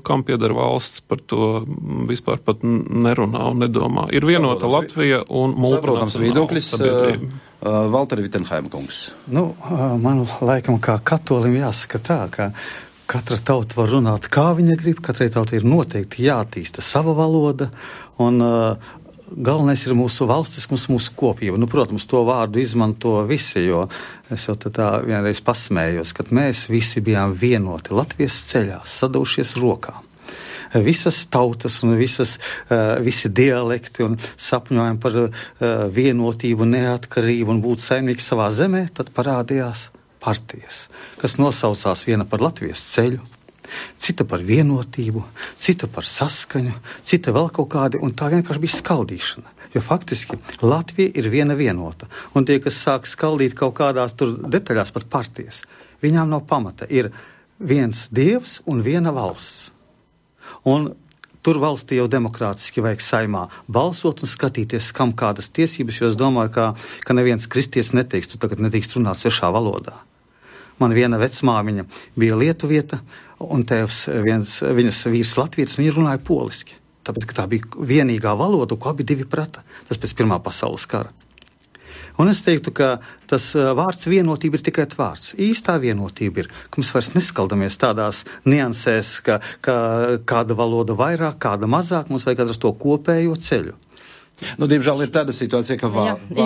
Speaker 5: kam pieder valsts, par to vispār pat nerunā un nedomā. Ir vienota Latvija un multinacionāla sabiedrība.
Speaker 2: Valteri Vitsenheima kungs.
Speaker 6: Man laikam kā katolim jāsaka tā, ka katra tauta var runāt, kā viņa grib, katrai tautai ir noteikti jātīsta sava valoda, un galvenais ir mūsu valstiskums, mūsu kopība. Protams, to vārdu izmanto visi, jo es jau tā vienreiz pasmējos, kad mēs visi bijām vienoti Latvijas ceļā, sadaušies rokā. Visas tautas un visi dialekti un sapņojam par vienotību, neatkarību un būt saimnieki savā zemē, tad parādījās partijas, kas nosaucās viena par Latvijas ceļu, cita par vienotību, cita par saskaņu, cita vēl kaut kādi, un tā vienkārši bija skaldīšana. Jo faktiski Latvija ir viena vienota, un tie, kas sāk skaldīt kaut kādās tur detaļās par partijas, viņām nav pamata. Ir viens dievs un viena valsts. Un tur valstī jau demokrātiski vajag saimā balsot un skatīties, kam kādas tiesības, jo es domāju, ka neviens kristietis neteiks, tu tagad nedrīkst runāt svešā valodā. Man viena vecmāmiņa bija lietuvieta, un tēvs viņas vīrs latvietis, viņa runāja poliski. Tāpēc, ka tā bija vienīgā valoda, ko abi divi prata. Tas pēc Pirmā pasaules kara. Un es teiktu, ka tas vārds vienotība ir tikai vārds. Īstā vienotība ir, ka mēs vairs neskaldamies tādās niansēs, ka kāda valoda vairāk, kāda mazāk, mums vajag atrast to kopējo ceļu.
Speaker 2: Diemžēl ir tāda situācija, ka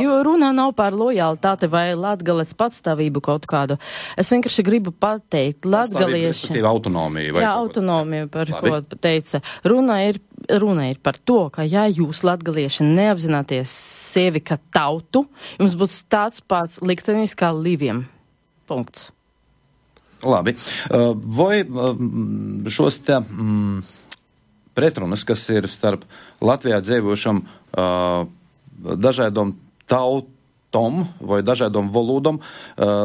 Speaker 4: jo runā nav par lojalitāti vai Latgales patstāvību kaut kādu. Es vienkārši gribu pateikt, latgalieši...
Speaker 2: autonomija.
Speaker 4: Jā, autonomija, par ko teica. Runa ir par to, ka ja jūs latgalieši neapzināties sevi kā tautu, jums būs tāds pats liktenis kā Līviem. Punkts.
Speaker 2: Labi. Vai šos te... pretrunas, kas ir starp Latvijā dzīvošam dažādom tautom vai dažādom valodom,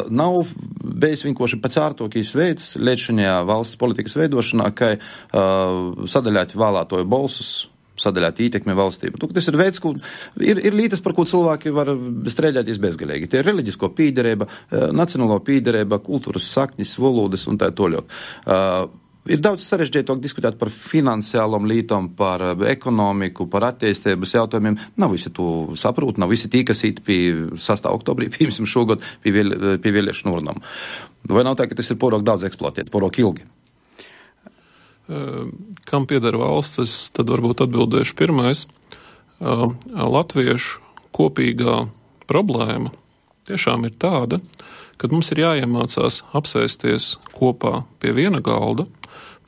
Speaker 2: nav bijis vienkārši pats ārtokīs veids līdzinājā valsts politikas veidošanā, kai sadaļāt vēlētoju balsus, sadaļāt ietekmi valstību. Tas ir veids, ir lietas, par ko cilvēki var strēļāties bezgalīgi. Tie ir reliģisko pīderība, nacionālo pīderība, kultūras saknis, valodas un tā toļok. Ir daudz sarežģītāk diskutēt par finansiālām lietām, par ekonomiku, par attīstības jautājumiem. Nav visi to saprot, nav visi tī, kas īt pie 6. oktobrī, piemēram, šogad pie vēlēšanu urnām. Vai nav tā, ka tas ir porok daudz eksploatēts, porok ilgi?
Speaker 5: Kam pieder valsts, es tad varbūt atbildēšu pirmais. Latviešu kopīgā problēma tiešām ir tāda, kad mums ir jāiemācās apsēsties kopā pie viena galda,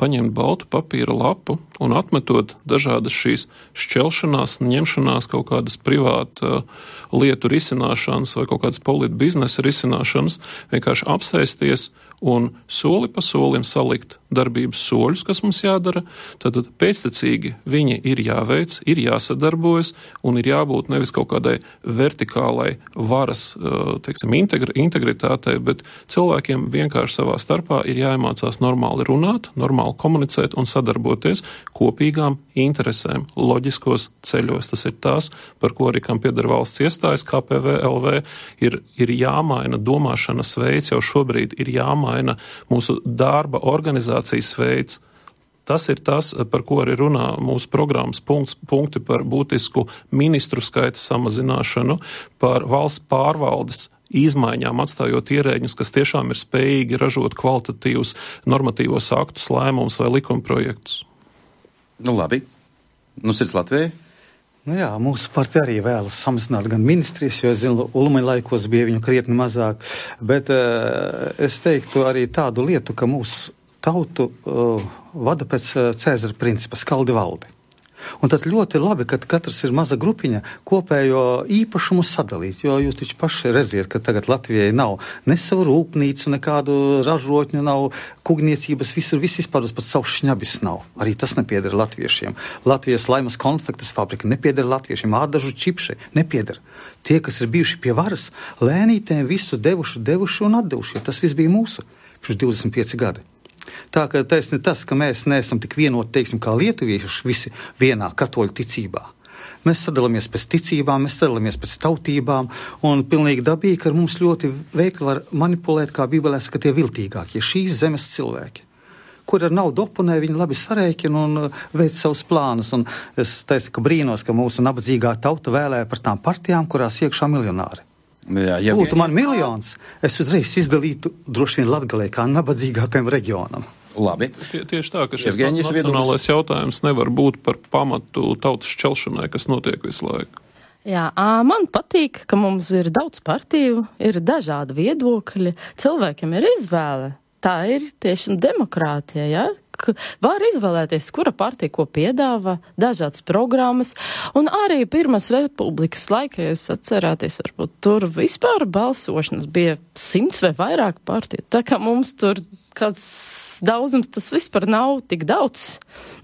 Speaker 5: paņemt baltu papīra lapu un atmetot dažādas šīs šķelšanās, ņemšanās, kaut kādas privāta lietu risināšanas vai kaut kādas polīta biznesa risināšanas, vienkārši apsēsties un soli pa solim salikt darbības soļus, kas mums jādara, tad pēctecīgi viņi ir jāveic, ir jāsadarbojas un ir jābūt nevis kaut kādai vertikālai varas, integritātei, bet cilvēkiem vienkārši savā starpā ir jāiemācās normāli runāt, normāli komunicēt un sadarboties kopīgām interesēm, loģiskos ceļos. Tas ir tās, par ko arī kam pieder valsts iestājas, KPV-LV, ir jāmaina domāšanas veids, jau šobrīd ir jāmaina mūsu darba organizācijas veids. Tas ir tas, par ko arī runā mūsu programmas punkti par būtisku ministru skaita samazināšanu, par valsts pārvaldes izmaiņām, atstājot ierēģņus, kas tiešām ir spējīgi ražot kvalitatīvus normatīvos aktus, lēmumus vai likumprojektus.
Speaker 2: Labi. Sirds Latvijai?
Speaker 6: Jā, mūsu partija arī vēlas samazināt gan ministrijas, jo es zinu, Ulmaņa laikos bija viņu krietni mazāk, bet es teiktu arī tādu lietu, ka mūsu tautu vada pēc Cēzara principa skaldi valdi. Un tad ļoti labi, ka katrs ir maza grupiņa kopējo īpašumu sadalīt, jo jūs taču paši redziet, ka tagad Latvijai nav ne savu rūpnīcu, nekādu ražotņu nav, kugniecības, viss izpārdos, pat savu šņabis nav. Arī tas nepieder latviešiem. Latvijas laimas konfektes fabrika nepieder latviešiem, ādažu čipši nepieder. Tie, kas ir bijuši pie varas, lēnītēm visu devuši un atdevuši. Tas viss bija mūsu pirms 25 gadi. Tā ka taisni tas, ka mēs neesam tik vienoti, teiksim, kā lietuvieši visi vienā katoļu ticībā. Mēs sadalāmies pēc ticībām, mēs sadalāmies pēc tautībām, un pilnīgi dabīgi, ka mums ļoti veikli var manipulēt, kā Bībelē saka, tie viltīgākie, šīs zemes cilvēki, kur ar naudu oponē, viņi labi sarēķina un veic savus plānus. Un es teicu, ka brīnos, ka mūsu nabadzīgā tauta vēlēja par tām partijām, kurās iekšā miljonāri.
Speaker 2: Jā,
Speaker 6: būtu man miljons, es uzreiz izdalītu droši vien Latgalē kā nabadzīgākajam reģionam.
Speaker 2: Labi.
Speaker 5: Tieši tā, ka šis nacionālais jautājums nevar būt par pamatu tautas šķelšanai, kas notiek visu laiku.
Speaker 4: Jā, man patīk, ka mums ir daudz partiju, ir dažādi viedokļi, cilvēkiem ir izvēle. Tā ir tiešām demokrātija, ja? Var izvēlēties, kura partija ko piedāvā, dažādas programmas, un arī Pirmās republikas laikā, jūs atcerāties, varbūt tur vispār balsošanas bija 100 vai vairāk partiju, tā kā mums tur kāds daudzums, tas vispār nav tik daudz,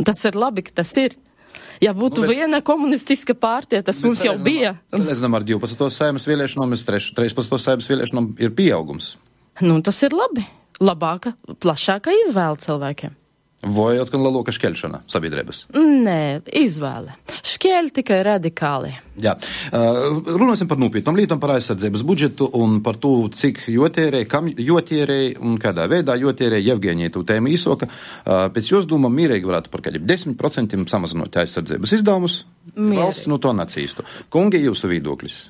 Speaker 4: tas ir labi, ka tas ir. Ja būtu viena komunistiska partija, tas mums jau bija.
Speaker 2: Salīdzinām ar 12. Saeimas vēlēšanām, 13. Saeimas vēlēšanām ir pieaugums.
Speaker 4: Nu, tas ir labi. Labāka, plašāka izvēle cilvēkiem.
Speaker 2: Vai atkal lielāka šķelšana sabiedrības?
Speaker 4: Nē, izvēle. Šķēļ tikai radikāli.
Speaker 2: Jā. Runāsim par nopietnām lietām, par aizsardzības budžetu un par to, cik jotierēja, kam jotierēja un kādā veidā jotierēja. Jevgeņija tu tēma īsoka. Pēc jūs domā mierīgi varētu par kādiem 10% samazinot aizsardzības izdevumus. Valsts no to nacīstu. Kungi, jūsu viedoklis?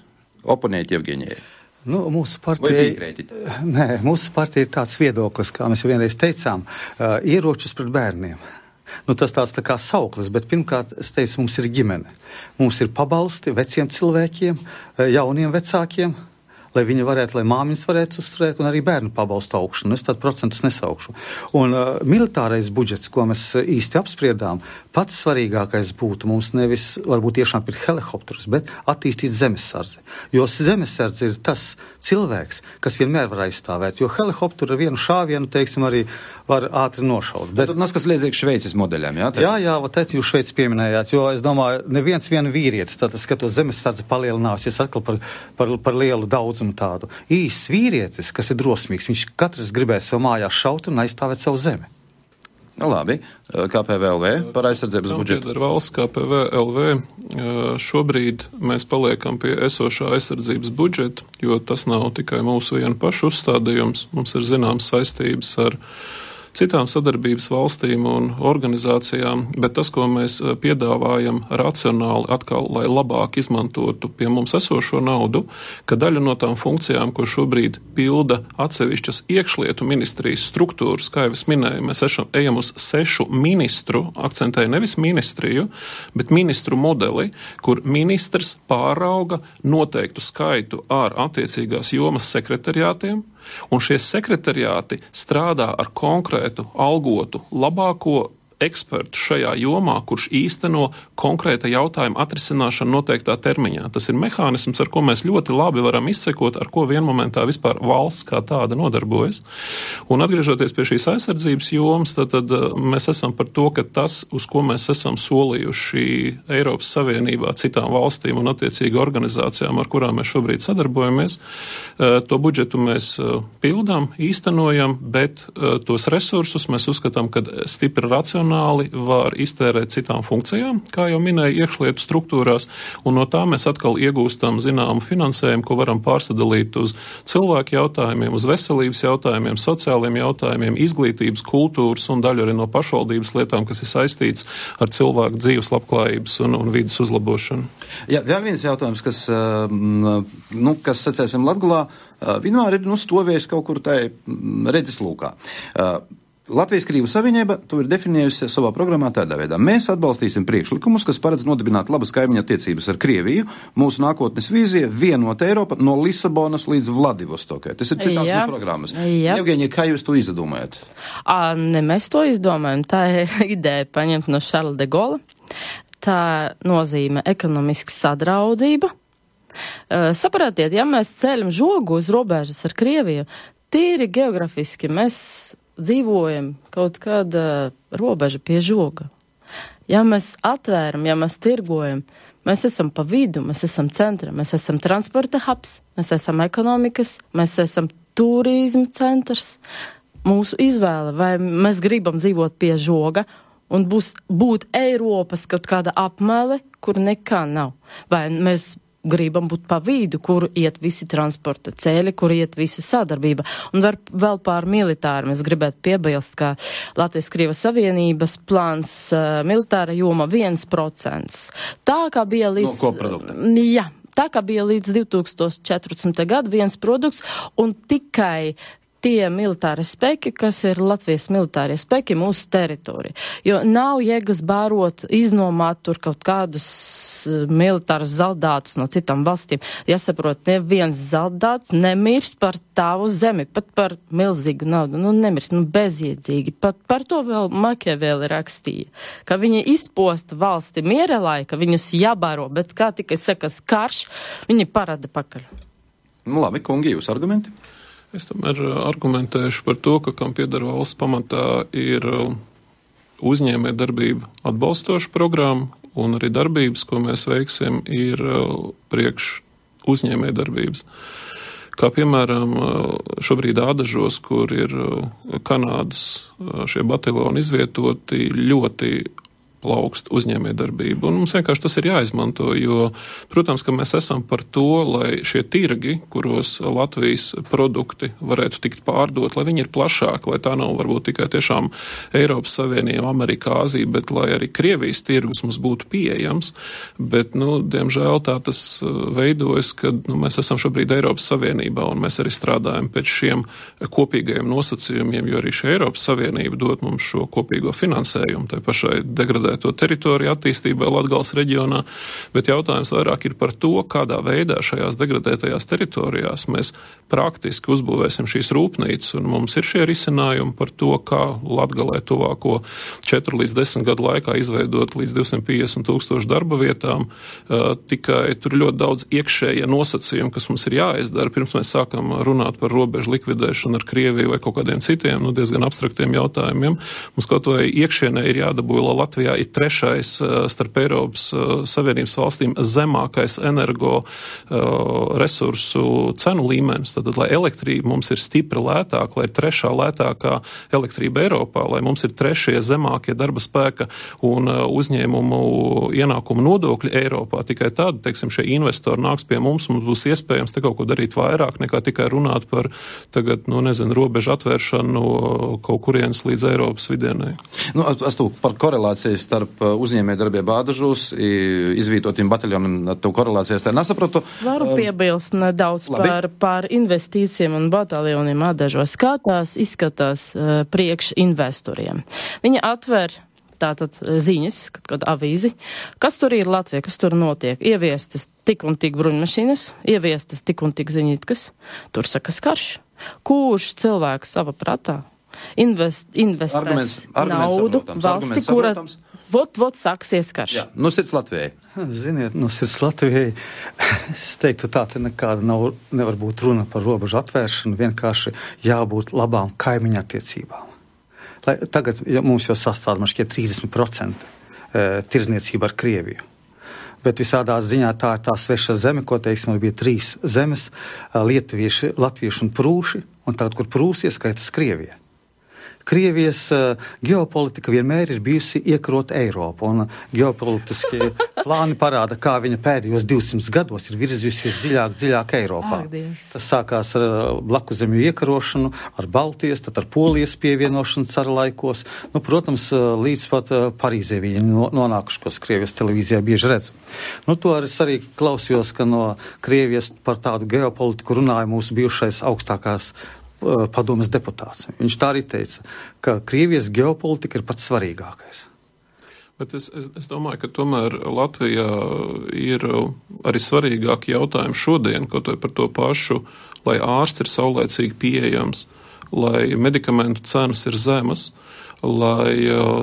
Speaker 2: Oponēt Jevgeņijai.
Speaker 6: Nu, mūsu partija ir tāds viedoklis, kā mēs jau vienreiz teicām, ieročus pret bērniem. Nu, tas tāds tā kā sauklis, bet pirmkārt, es teicu, mums ir ģimene. Mums ir pabalsti veciem cilvēkiem, jauniem vecākiem, lai viņi varētu, lai māmiņas varētu uzturēt, un arī bērnu pabalstu augšanu. Es tādu procentus nesaukšu. Un militārais budžets, ko mēs īsti apspriedām, pats svarīgākais būtu mums nevis varbūt tiešām pirkt helikopterus, bet attīstīt zemesardzi. Jo zemesardze ir tas cilvēks, kas vienmēr var aizstāvēt, jo helikopteru ar vienu šāvienu, teiksim, arī var ātri nošaut. Bet
Speaker 2: tad kas liedzīgs Šveices modeļiem, jā?
Speaker 6: Jā, teicu, jūs Šveici pieminējāt, jo es domāju, neviens vienu vīrietis, tātad skatos zemesardze palielināsies atkal par lielu daudzumu tādu. Īsts vīrietis, kas ir drosmīgs, viņš katrs gribēs savu mājās šaut un aizstāvēt savu zemi.
Speaker 2: Nu, labi, KPVLV par aizsardzības budžetu.
Speaker 5: Ar valsts KPVLV šobrīd mēs paliekam pie esošā aizsardzības budžeta, jo tas nav tikai mūsu vienu pašu uzstādījums. Mums ir zināmas saistības ar citām sadarbības valstīm un organizācijām, bet tas, ko mēs piedāvājam racionāli atkal, lai labāk izmantotu pie mums esošo naudu, ka daļa no tām funkcijām, ko šobrīd pilda atsevišķas iekšlietu ministrijas struktūras, kā jau es minēju, mēs ejam uz 6 ministru, akcentēju nevis ministriju, bet ministru modeli, kur ministrs pārauga noteiktu skaitu ar attiecīgās jomas sekretariātiem, un šie sekretariāti strādā ar konkrētu algotu labāko ekspertu šajā jomā, kurš īsteno konkrēta jautājuma atrisināšanu noteiktā termiņā. Tas ir mehānisms, ar ko mēs ļoti labi varam izsekot, ar ko vienmomentā vispār valsts kā tāda nodarbojas. Un atgriežoties pie šīs aizsardzības jomas, tad mēs esam par to, ka tas, uz ko mēs esam solījuši Eiropas Savienībā citām valstīm un attiecīgi organizācijām, ar kurām mēs šobrīd sadarbojamies, to budžetu mēs pildām, īstenojam, bet tos resursus mēs uzskatām, ka stipri racionāli var iztērēt citām funkcijām, kā jau minēju, iekšlietu struktūrās, un no tā mēs atkal iegūstam zināmu finansējumu, ko varam pārsadalīt uz cilvēku jautājumiem, uz veselības jautājumiem, sociāliem jautājumiem, izglītības, kultūras un daļu arī no pašvaldības lietām, kas ir saistīts ar cilvēku dzīves labklājības un vidas uzlabošanu.
Speaker 2: Jā, vēl viens jautājums, kas sacēsim Latgolā, vienmēr ir stovējis kaut kur tai redzeslūkā. Latvijas-Krievu Savienība to ir definējusi savā programmā tādā veidā. Mēs atbalstīsim priekšlikumus, kas paredz nodibināt labas kaimiņa attiecības ar Krieviju. Mūsu nākotnes vīzija vienota Eiropa no Lisabonas līdz Vladivostokai. Tas ir citāts no programmas. Jevgeņija, kā jūs to izdomājat?
Speaker 4: Ne mēs to izdomājam. Tā ir ideja paņemt no Šarla de Gola. tā nozīmē ekonomiska sadraudzība. Sapratiet, ja mēs ceļam žogu uz robežas ar Krieviju, tīri geografiski mēs dzīvojam kaut kāda robeža pie žoga. Ja mēs atvēram, ja mēs tirgojam, mēs esam pa vidu, mēs esam centra, mēs esam transporta hubs, mēs esam ekonomikas, mēs esam turisma centrs. Mūsu izvēle, vai mēs gribam dzīvot pie žoga un būt Eiropas kaut kāda apmele, kur nekā nav. Vai mēs gribam būt pa vidu, kur iet visi transporta ceļi, kur iet visa sadarbība. Un vēl pār militāru mēs gribētu piebilst, ka Latvijas-Krievijas Savienības plāns militāra joma 1%. Tā kā bija līdz...
Speaker 2: No koprodukta.
Speaker 4: Jā, tā kā bija līdz 2014. gadu 1%, un tikai tie militāri spēki, kas ir Latvijas militārie spēki mūsu teritorija. Jo nav jēgas bārot, iznomāt tur kaut kādus militārus zaldātus no citām valstīm. Jāsaprot, neviens zaldāts nemirst par tavu zemi, pat par milzīgu naudu. Nemirst, bezjēdzīgi. Pat par to vēl Makiavēli rakstīja, ka viņi izposta valsti miera laika, viņus jābāro, bet kā tikai sakas karš, viņi parāda pakaļ.
Speaker 2: Labi, kungi, jūs argumenti?
Speaker 5: Es tomēr argumentēšu par to, ka kam pieder valsts pamatā ir uzņēmē darbība atbalstoša programma, un arī darbības, ko mēs veiksim, ir priekš uzņēmē darbības. Kā piemēram šobrīd Ādažos, kur ir Kanādas šie bataljoni izvietoti, ļoti plaukst uzņēmējdarbību. Un mums vienkārši tas ir jāizmanto, jo, protams, ka mēs esam par to, lai šie tirgi, kuros Latvijas produkti varētu tikt pārdot, lai viņi ir plašāki, lai tā nav varbūt tikai tiešām Eiropas Savienība, Amerika, Āzija, bet lai arī Krievijas tirgus mums būtu pieejams. Bet, diemžēl tā tas veidojas, kad mēs esam šobrīd Eiropas Savienībā, un mēs arī strādājam pēc šiem kopīgajiem nosacījumiem, jo arī šī Eiropas Savienība dod mums šo kopīgo finansējumu, tai pašai degradēto teritoriju attīstībai Latgales reģionā, bet jautājums vairāk ir par to, kādā veidā šajās degradētajās teritorijās mēs praktiski uzbūvēsim šīs rūpnīcas, un mums ir šie risinājumi par to, kā Latgalē tuvāko 4 līdz 10 gadu laikā izveidot līdz 250,000 darba vietām, tikai tur ļoti daudz iekšējie nosacījumi, kas mums ir jāizdara, pirms mēs sākam runāt par robežu likvidēšanu ar Krieviju vai kaut kādiem citiem, diezgan abstraktiem jautājumiem. Mums kaut vai iekšienē ir jādabūj, lai Latvijā ir trešais starp Eiropas Savienības valstīm zemākais energo resursu cenu līmenis. Tad, lai elektrība mums ir stipri lētāka, lai ir trešā lētākā elektrība Eiropā, lai mums ir trešie zemākie darba spēka un uzņēmumu ienākumu nodokļi Eiropā. Tikai tad, šie investori nāks pie mums būs iespējams te kaut ko darīt vairāk, nekā tikai runāt par tagad, robežu atvēršanu kaut kurienes līdz Eiropas vidienē.
Speaker 2: Par korelācijas starp uzņēmējdarbību Ādažos, izvītotiem bataljoniem, to korelācijas tā nesapratu.
Speaker 4: Varu piebilst nedaudz par investīcijiem un bataljoniem Ādažos. Kā tās izskatās priekš investoriem? Viņi atver tātad ziņas, kad avīzi, kas tur ir Latvija, kas tur notiek. Ieviestas tik un tik bruņmašīnas, ieviestas tik un tik ziņitkas. Tur sakas karš. Kurš cilvēks sava prātā investēs naudu valsti, kura vot sāksies karš.
Speaker 2: Jā, sirds Latvijai.
Speaker 6: Ziniet, sirds Latvijai, es teiktu tā, te nekāda nevar būt runa par robežu atvēršanu, vienkārši jābūt labām kaimiņa attiecībām. Tagad mums jau sastāv, man šķiet, 30% tirzniecība ar Krieviju. Bet visādā ziņā tā ir tā sveša zeme, ko teiksim, bija 3 zemes, lietuvieši, latvieši un prūši, un tagad, kur prūsi ieskaitas Krievija. Krievijas ģeopolitika vienmēr ir bijusi iekarot Eiropu, un ģeopolitiskie plāni parāda, kā viņa pēdējos 200 gados ir virzījusies dziļāk Eiropā. Tas sākās ar blakuzemju iekarošanu, ar Baltijas, tad ar Polijas pievienošanu cara laikos. Protams, līdz pat Parīzē viņi nonākuši, ko Krievijas televīzijā bieži redzu. To arī klausījos, ka no Krievijas par tādu ģeopolitiku runāja mūsu bijušais augstākās padomes deputāts. Viņš tā arī teica, ka Krievijas ģeopolitika ir pats svarīgākais.
Speaker 5: Bet es domāju, ka tomēr Latvijā ir arī svarīgāki jautājumi šodien, kaut vai par to pašu, lai ārsts ir saulēcīgi pieejams, lai medikamentu cenas ir zemas, lai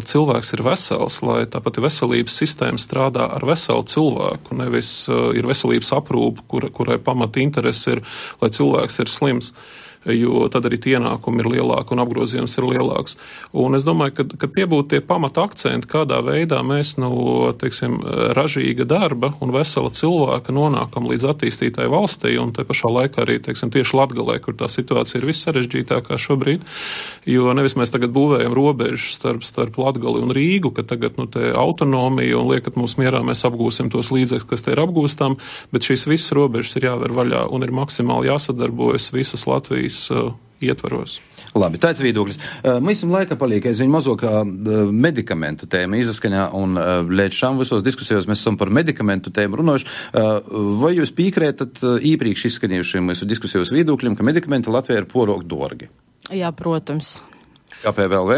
Speaker 5: cilvēks ir vesels, lai tāpat veselības sistēma strādā ar veselu cilvēku, nevis ir veselības aprūpe, kurai pamata interese ir, lai cilvēks ir slims, jo tad arī ienākumi ir lielāki un apgrozījums ir lielāks. Un es domāju, ka tie būtu tie pamata akcenti, kādā veidā mēs no, teiksim, ražīga darba un vesela cilvēka nonākam līdz attīstītai valstī, un te pašā laikā arī, teiksim, tieši Latgalē, kur tā situācija ir vissarežģītākā šobrīd, jo nevis mēs tagad būvējam robežu starp Latgali un Rīgu, ka tagad, te autonomija un liekat mūs mierā, mēs apgūsim tos līdzekļus, kas te ir apgūstam, bet šīs visas robežas ir jāver vaļā un ir maksimāli jāsadarbojas visas Latvijas ietvaros.
Speaker 2: Labi, tāds viedoklis. Mēs laika paliek aizvien mazākā medikamentu tēma izaskaņā, un līdz šām visos diskusijos mēs esam par medikamentu tēmu runājuši. Vai jūs piekrītat iepriekš izskanējušiem mūsu diskusijos viedokļiem, ka medikamenti Latvijā ir porok dārgi?
Speaker 4: Jā, protams.
Speaker 2: KPVLV?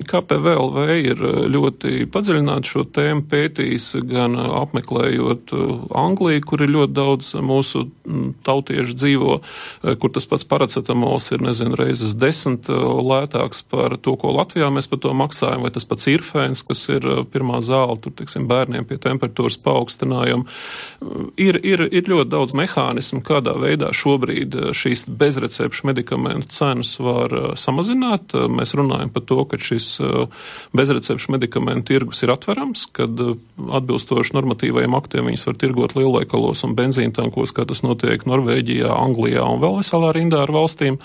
Speaker 5: KPVLV ir ļoti padziļināti šo tēmu pētījis, gan apmeklējot Angliju, kur ir ļoti daudz mūsu tautiešu dzīvo, kur tas pats paracetamols ir, reizes 10 lētāks par to, ko Latvijā mēs par to maksājam, vai tas pats irfēns, kas ir pirmā zāle, tur, teiksim, bērniem pie temperatūras paaugstinājuma. Ir ļoti daudz mehānismu, kādā veidā šobrīd šīs bezrecepšu medikamentu cenas var samazināt. Mēs runājam par to, ka šis bezrecepšu medikamentu tirgus ir atverams, kad atbilstoši normatīvajiem aktiem viņas var tirgot lielveikalos un benzīntankos, kā tas notiek Norvēģijā, Anglijā un vēl veselā rindā ar valstīm.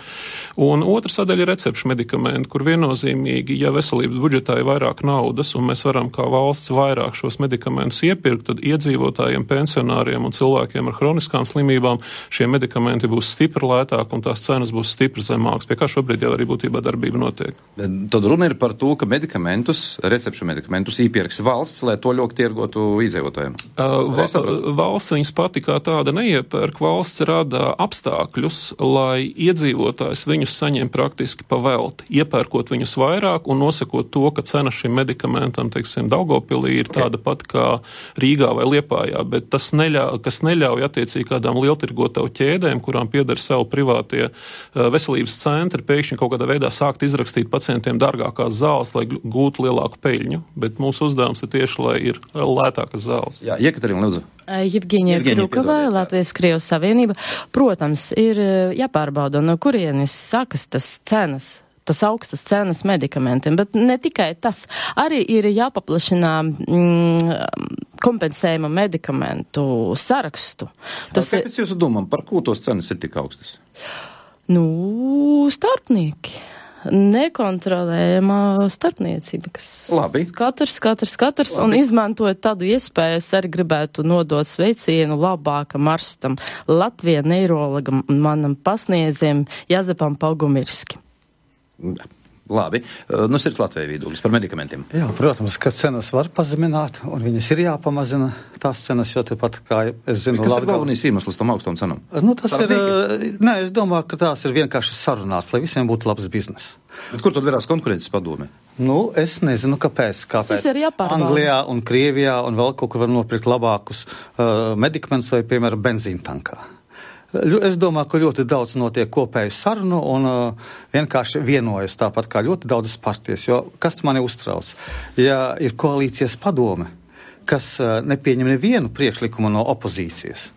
Speaker 5: Un otra sadaļa ir recepšu medikamenti, kur viennozīmīgi, ja veselības budžetā ir vairāk naudas un mēs varam kā valsts vairāk šos medikamentus iepirkt, tad iedzīvotājiem, pensionāriem un cilvēkiem ar hroniskām slimībām šie medikamenti būs stipri lētāk un tās cenas būs stipri zemākas, pie kā šobrīd jau arī būtībā darbība notiek.
Speaker 2: Tad runa ir par to, ka recepšu medikamentus iepirks valsts, lai to ļoti tirgotu iedzīvotājiem.
Speaker 5: Valsts viņas pati kā tāda neiepērk, valsts rada apstākļus, lai iedzīvotājs viņus saņem praktiski pa velti, iepērkot viņus vairāk un nosakot to, ka cena šim medikamentam, teiksim, Daugavpilī ir tāda pat kā Rīgā vai Liepājā, bet tas neļauj attiecīgi kādām lieltirgotavu ķēdēm, kurām pieder savu privātie veselības centri, pēkšņi kaut kādā veidā sākt izrakstīt pacientiem dārgākās zāles, lai gūtu lielāku peļņu, bet mūsu uzdevums ir tieši, lai ir lētākas zāles.
Speaker 2: Jā, Jekaterina, lūdzu.
Speaker 4: Jevgeņija Krukava, Latvijas-Krievijas Savienība. Protams, ir jāpārbauda, no kurienes sākas tas augstas cenas medikamentiem, bet ne tikai tas. Arī ir jāpaplašinā kompensējuma medikamentu sarakstu.
Speaker 2: Kāpēc jūs domājat, par ko tos cenas ir tik augstas?
Speaker 4: Starpnieki. Nekontrolējama starpniecība, kas
Speaker 2: Labi.
Speaker 4: Katrs un izmantojot tādu iespēju, es arī gribētu nodot sveicienu labākam arstam, Latvijas neirologam un manam pasniedzējam Jazepam Paugumirski.
Speaker 2: Labi. Sirds Latvijai viedoklis par medikamentiem.
Speaker 6: Jā, protams, ka cenas var pazemināt, un viņas ir jāpamazina tās cenas, jo tepat, kā es zinu,
Speaker 2: kas ir galvenais iemesls tam augstam cenam?
Speaker 6: Es domāju, ka tās ir vienkārši sarunās, lai visiem būtu labs biznes.
Speaker 2: Bet kur tad verās konkurences padome?
Speaker 6: Es nezinu, kāpēc. Anglijā un Krievijā un vēl kaut kur var nopirkt labākus medikamentus vai, piemēram, benzīntankā. Es domāju, ka ļoti daudz notiek kopēju sarunu un vienkārši vienojas tāpat kā ļoti daudzas partijas, jo kas mani uztrauc? Ja ir koalīcijas padome, kas nepieņem nevienu priekšlikumu no opozīcijas,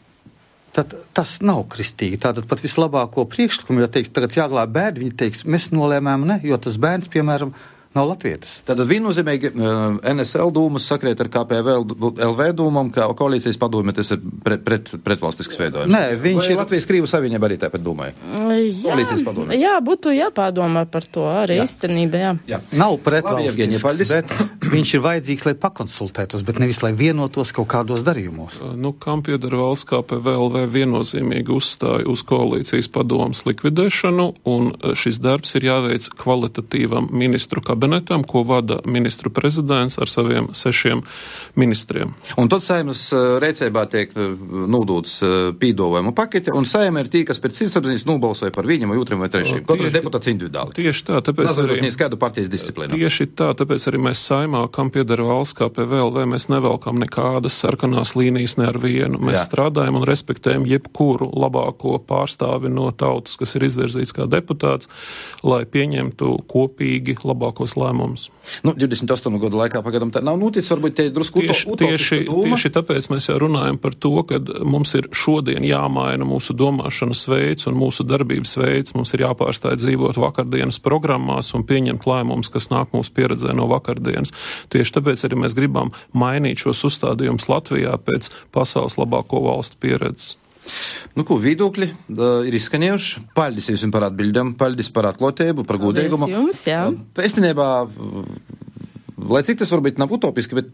Speaker 6: tad tas nav kristīgi. Tātad pat vislabāko priekšlikumu, ja teiks, tagad jāglāb bērni, viņi teiks, mēs nolēmām ne, jo tas bērns, piemēram, nav latvietis.
Speaker 2: Tātad viennozīmīgi NSL dūmas sakrēt ar KPVLV dūmam, ka koalīcijas padome tas ir pretvalstisks veidojums.
Speaker 6: Nē, viņš ir
Speaker 2: Latvijas-Krievijas Savienība arī tāpat domāja. Koalīcijas padome.
Speaker 4: Jā, būtu jāpārdomā par to arī īstenībā, jā.
Speaker 6: Nav pretvalstisks, bet viņš ir vajadzīgs, lai pakonsultētos, bet nevis, lai vienotos kaut kādos darījumos.
Speaker 5: Kam pieder valsts KPVLV viennozīmīgi uzstāja uz koalīcijas padomas likvidēšanu, un šis darbs ir jāveic kvalitatīvam ministru kabinetā kabinetam, ko vada ministru prezidents ar saviem 6 ministriem.
Speaker 2: Un tad Saeimas rēcībā tiek nūdūts pīdojumu pakete, un Saeima ir tī, kas pēc sirdsapziņas nobalsoja par viņam vai otram vai trešajam. Katrs deputāts individuāli.
Speaker 5: Tieši tā, tāpēc arī...
Speaker 2: Kādu partijas disciplīnu.
Speaker 5: Tieši tā, tāpēc arī mēs Saeimā, kam piedara valsts KPVLV, mēs nevelkam nekādas sarkanās līnijas ne ar vienu. Mēs strādājam un respektējam jebkuru labāko pārstāvi no tautas, kas ir izvirzīts kā deputāts, lai pieņemtu kopīgi labākos lēmumus.
Speaker 2: 28 gadu laikā pagadam tā nav noticis, varbūt te drusku
Speaker 5: tieši tāpēc mēs jau runājam par to, ka mums ir šodien jāmaina mūsu domāšanas veids un mūsu darbības veids. Mums ir jāpārstāj dzīvot vakardienas programmās un pieņemt lēmumus, kas nāk mūsu pieredzē no vakardienas. Tieši tāpēc arī mēs gribam mainīt šos uzstādījumus Latvijā pēc pasaules labāko valstu pieredzes.
Speaker 2: Viedokļi ir izskanējuši. Paldies jums par atbildēm, paldies par atklātību, par godīgumu.
Speaker 4: Paldies jums, jā.
Speaker 2: Pēstinībā, lai cik tas varbūt nav utopiski, bet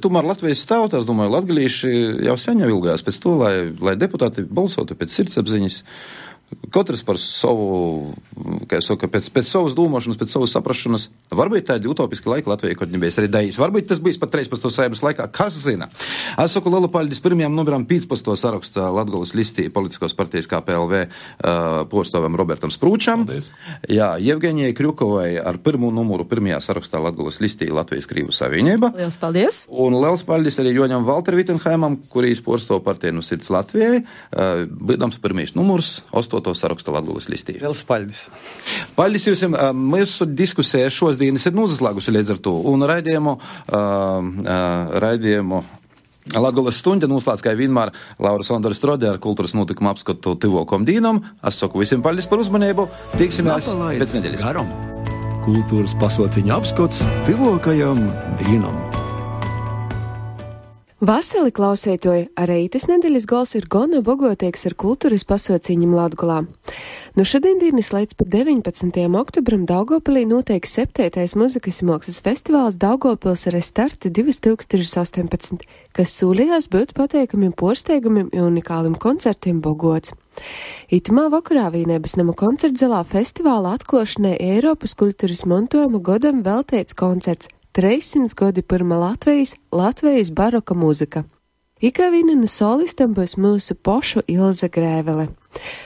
Speaker 2: tomēr Latvijas tauta, es domāju, latgalīši jau sen jau ilgās pēc to, lai deputāti balsotu pēc sirdsapziņas. Katrs par savu, kā jau saka, pēc savas domāšanas, pēc savas saprašanas. Varbūt tādi utopiski laiki Latvijai, kaut nebija arī dējis. Varbūt tas bijis pat 13. Saeimas laikā. Kas zina? Es saku lielu paldies pirmajam numeram 15. sarakstā Latgolas listī politiskos partijas KPLV postovam Robertam Sprūčam.
Speaker 5: Paldies.
Speaker 2: Jā, Jevgenijai Krjukovai ar pirmo numuru pirmajā sarakstā Latgolas listī Latvijas Krīvu savienība.
Speaker 4: Liels paldies.
Speaker 2: Un liels paldies arī Joņam Valter Vittenheimam, kurīs postova partija no sirds Latvijai. Bīdams pirmais numurs 8. sarakstu Latgolas listī.
Speaker 6: Liels paldies.
Speaker 2: Paldies jums. Mūsu diskusija šodienas ir nozaslēgusi līdz ar to. Un raidījumu Latgolas stunda noslēdz kā vienmēr Laura Sondara Strode ar kultūras notikumu apskatu tuvokom dīnam. Es saku visiem paldies par uzmanību. Tiksimies pēc nedēļas.
Speaker 1: Garam. Kultūras pasauciņa apskats tuvokajam dīnam.
Speaker 7: Vasali klausētoji, arī itas nedēļas gols ir gona bogotieks ar kultūras pasauciņam Latgolā. No šodienas līdz pat 19. oktobram Daugavpilī notiek 7. muzikas mākslas festivāls Daugavpils ar starti 2018, kas sūlījās būt pateikami porsteigumiem un unikālim koncertiem bogots. Itamā vakarā Vīnēbas nama koncertzalā festivāla atklāšanai Eiropas kultūras mantojuma godam veltīts koncerts 300 gadi pirmā Latvijas baroka mūzika. Ikā viena no solistam būs mūsu pošu Ilze Grēvele.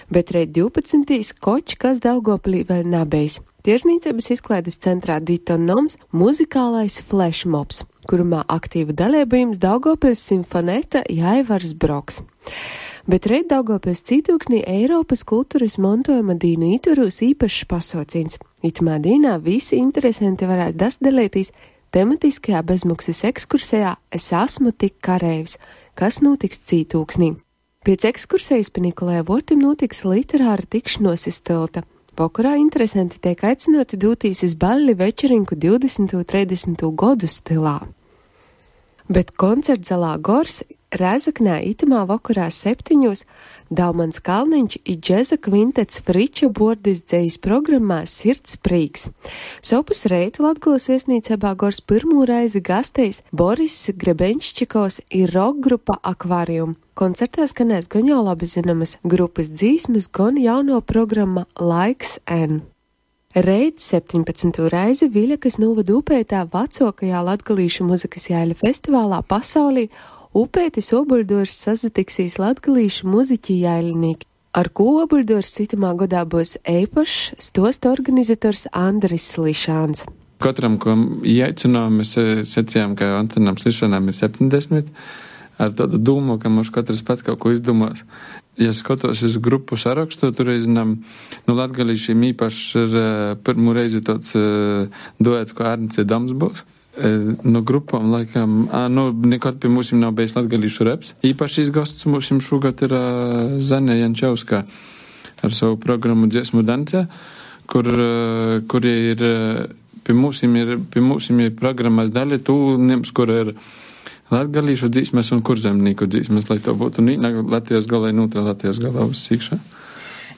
Speaker 7: Bet reit 12. koč, kas Daugavpilī vēl nabejs. Tiežnīcības izklaides centrā Ditonoms muzikālais flashmobs, kurumā aktīvu dalībījums Daugavpils simfoneta Jāivars Broks. Bet reit Daugavpils cītūksnī Eiropas kultūras mantojuma dīnu īturūs īpašs pasaucīns. Itamā dīnā visi interesanti varēs dasdalītīs tematiskajā bezmaksas ekskursijā Es esmu tik kareivs, kas notiks cītūksnī. Pēc ekskursijas pa Nikolai Vortim notiks literāra tikšanos iz tilta. Vakarā interesanti tiek aicināti dūtīs iz balli večerinku 20. un 30. godu stilā. Bet koncertzalā Gors Rēzaknē itamā vakarā 7. Daumans Kalniņš i džeza kvintets Friča Bordis dzejas programmā Sirds prīks. Sopus reit Latgolas viesnīcībā Gors pirmo reizi gastējis Boris Grebenščikovs i rock grupa Akvarium. Koncertā skanēs gan jau labi zinamas grupas dzīsmes, gan jauno programma Laiks N. Reit 17. reizi Viļakas novada upētā vecākajā latgalīšu muzikas jāļa festivālā pasaulī Upētis Obuļdors sazatiksīs latgalīšu muziķi jāļinīki, ar ko Obuļdors citamā godā būs eipašs stosta organizators Andris Slišāns.
Speaker 8: Katram, ko ieaicinām, mēs secījām, ka Antonam Slišanām ir 70, ar tādu domu, ka mums katrs pats kaut ko izdomās. Ja skatos uz grupu sarakstu, tur reizinām, latgalīšiem īpašs ir pirmo reizi tāds duets, ko Arnice Doms būs. No grupām, laikam, nekad pie mūsim nav bijis latgalīšu reps. Īpašīs gosts mūsim šogad ir Zane Jančevska ar savu programmu Dziesmu dancē, kur ir pie mūsim ir programmas daļa tūlniems, kur ir latgalīšu dzīsmes un kurzemnieku dzīsmes, lai to būtu Latvijas galā un otrā Latvijas galā uz sīkšā.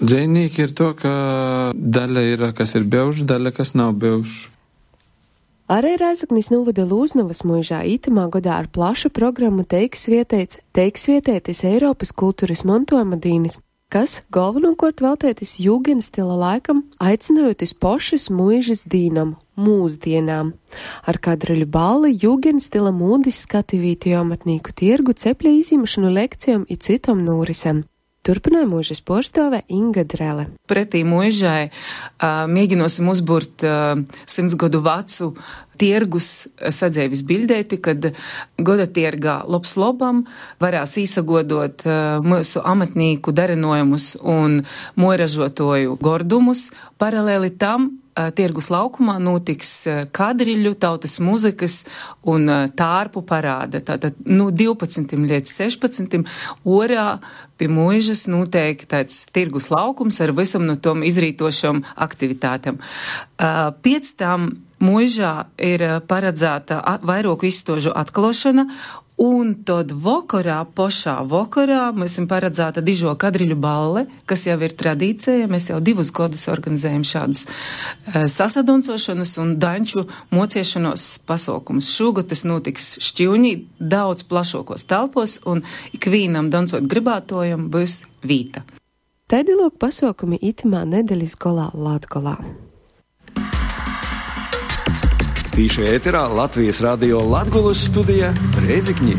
Speaker 8: Dzēnīgi ir to, ka daļa ir, kas ir beušs, daļa, kas nav beušs.
Speaker 7: Arī Rēzaknis novada Lūznavas mūžā itamā godā ar plašu programmu teiks vietētis Eiropas kultūras mantojuma dīnis, kas galvenokārt veltētis jūgenstila laikam, aicinājoties pošas mūžas dīnam mūsdienām. Ar kadruļu balli, jūgenstila mūdis skatīvītu amatnīku tirgu, cepļa izimšanu lekcijām i citom nūrisam. Turpināja mūžas porstove Inga Drele.
Speaker 9: Pretī mūžai mēģinosim uzburt 100 gadu vecu tirgus sadzēvis bildēti, kad goda tirgā labs lobam varēs īsagodot mūsu amatnīku darinojumus un moiražotoju gordumus. Paralēli tam tirgus laukumā notiks kadriļu, tautas muzikas un tārpu parāda. Tātad 12 līdz 16 orā pie mūžas noteikti tāds tirgus laukums ar visam no tom izrītošam aktivitātām. Pēc tam mūžā ir paredzēta vairoku izstožu atklošana, un tad pošā vakarā mēs esam paredzēta dižo kadriļu balle, kas jau ir tradīcija. Mēs jau 2 gadus organizējam šādus sasadoncošanas un daņču mociešanos pasaukumus. Šogad tas notiks Šķiuņī daudz plašākos telpos, un ikvīnam dancot gribētojam būs vīta.
Speaker 7: Taidilok pasaukumi itimā nedēļas golā Latgolā.
Speaker 1: Tīši ēterā Latvijas radio Latgolas studija Rēzikņī.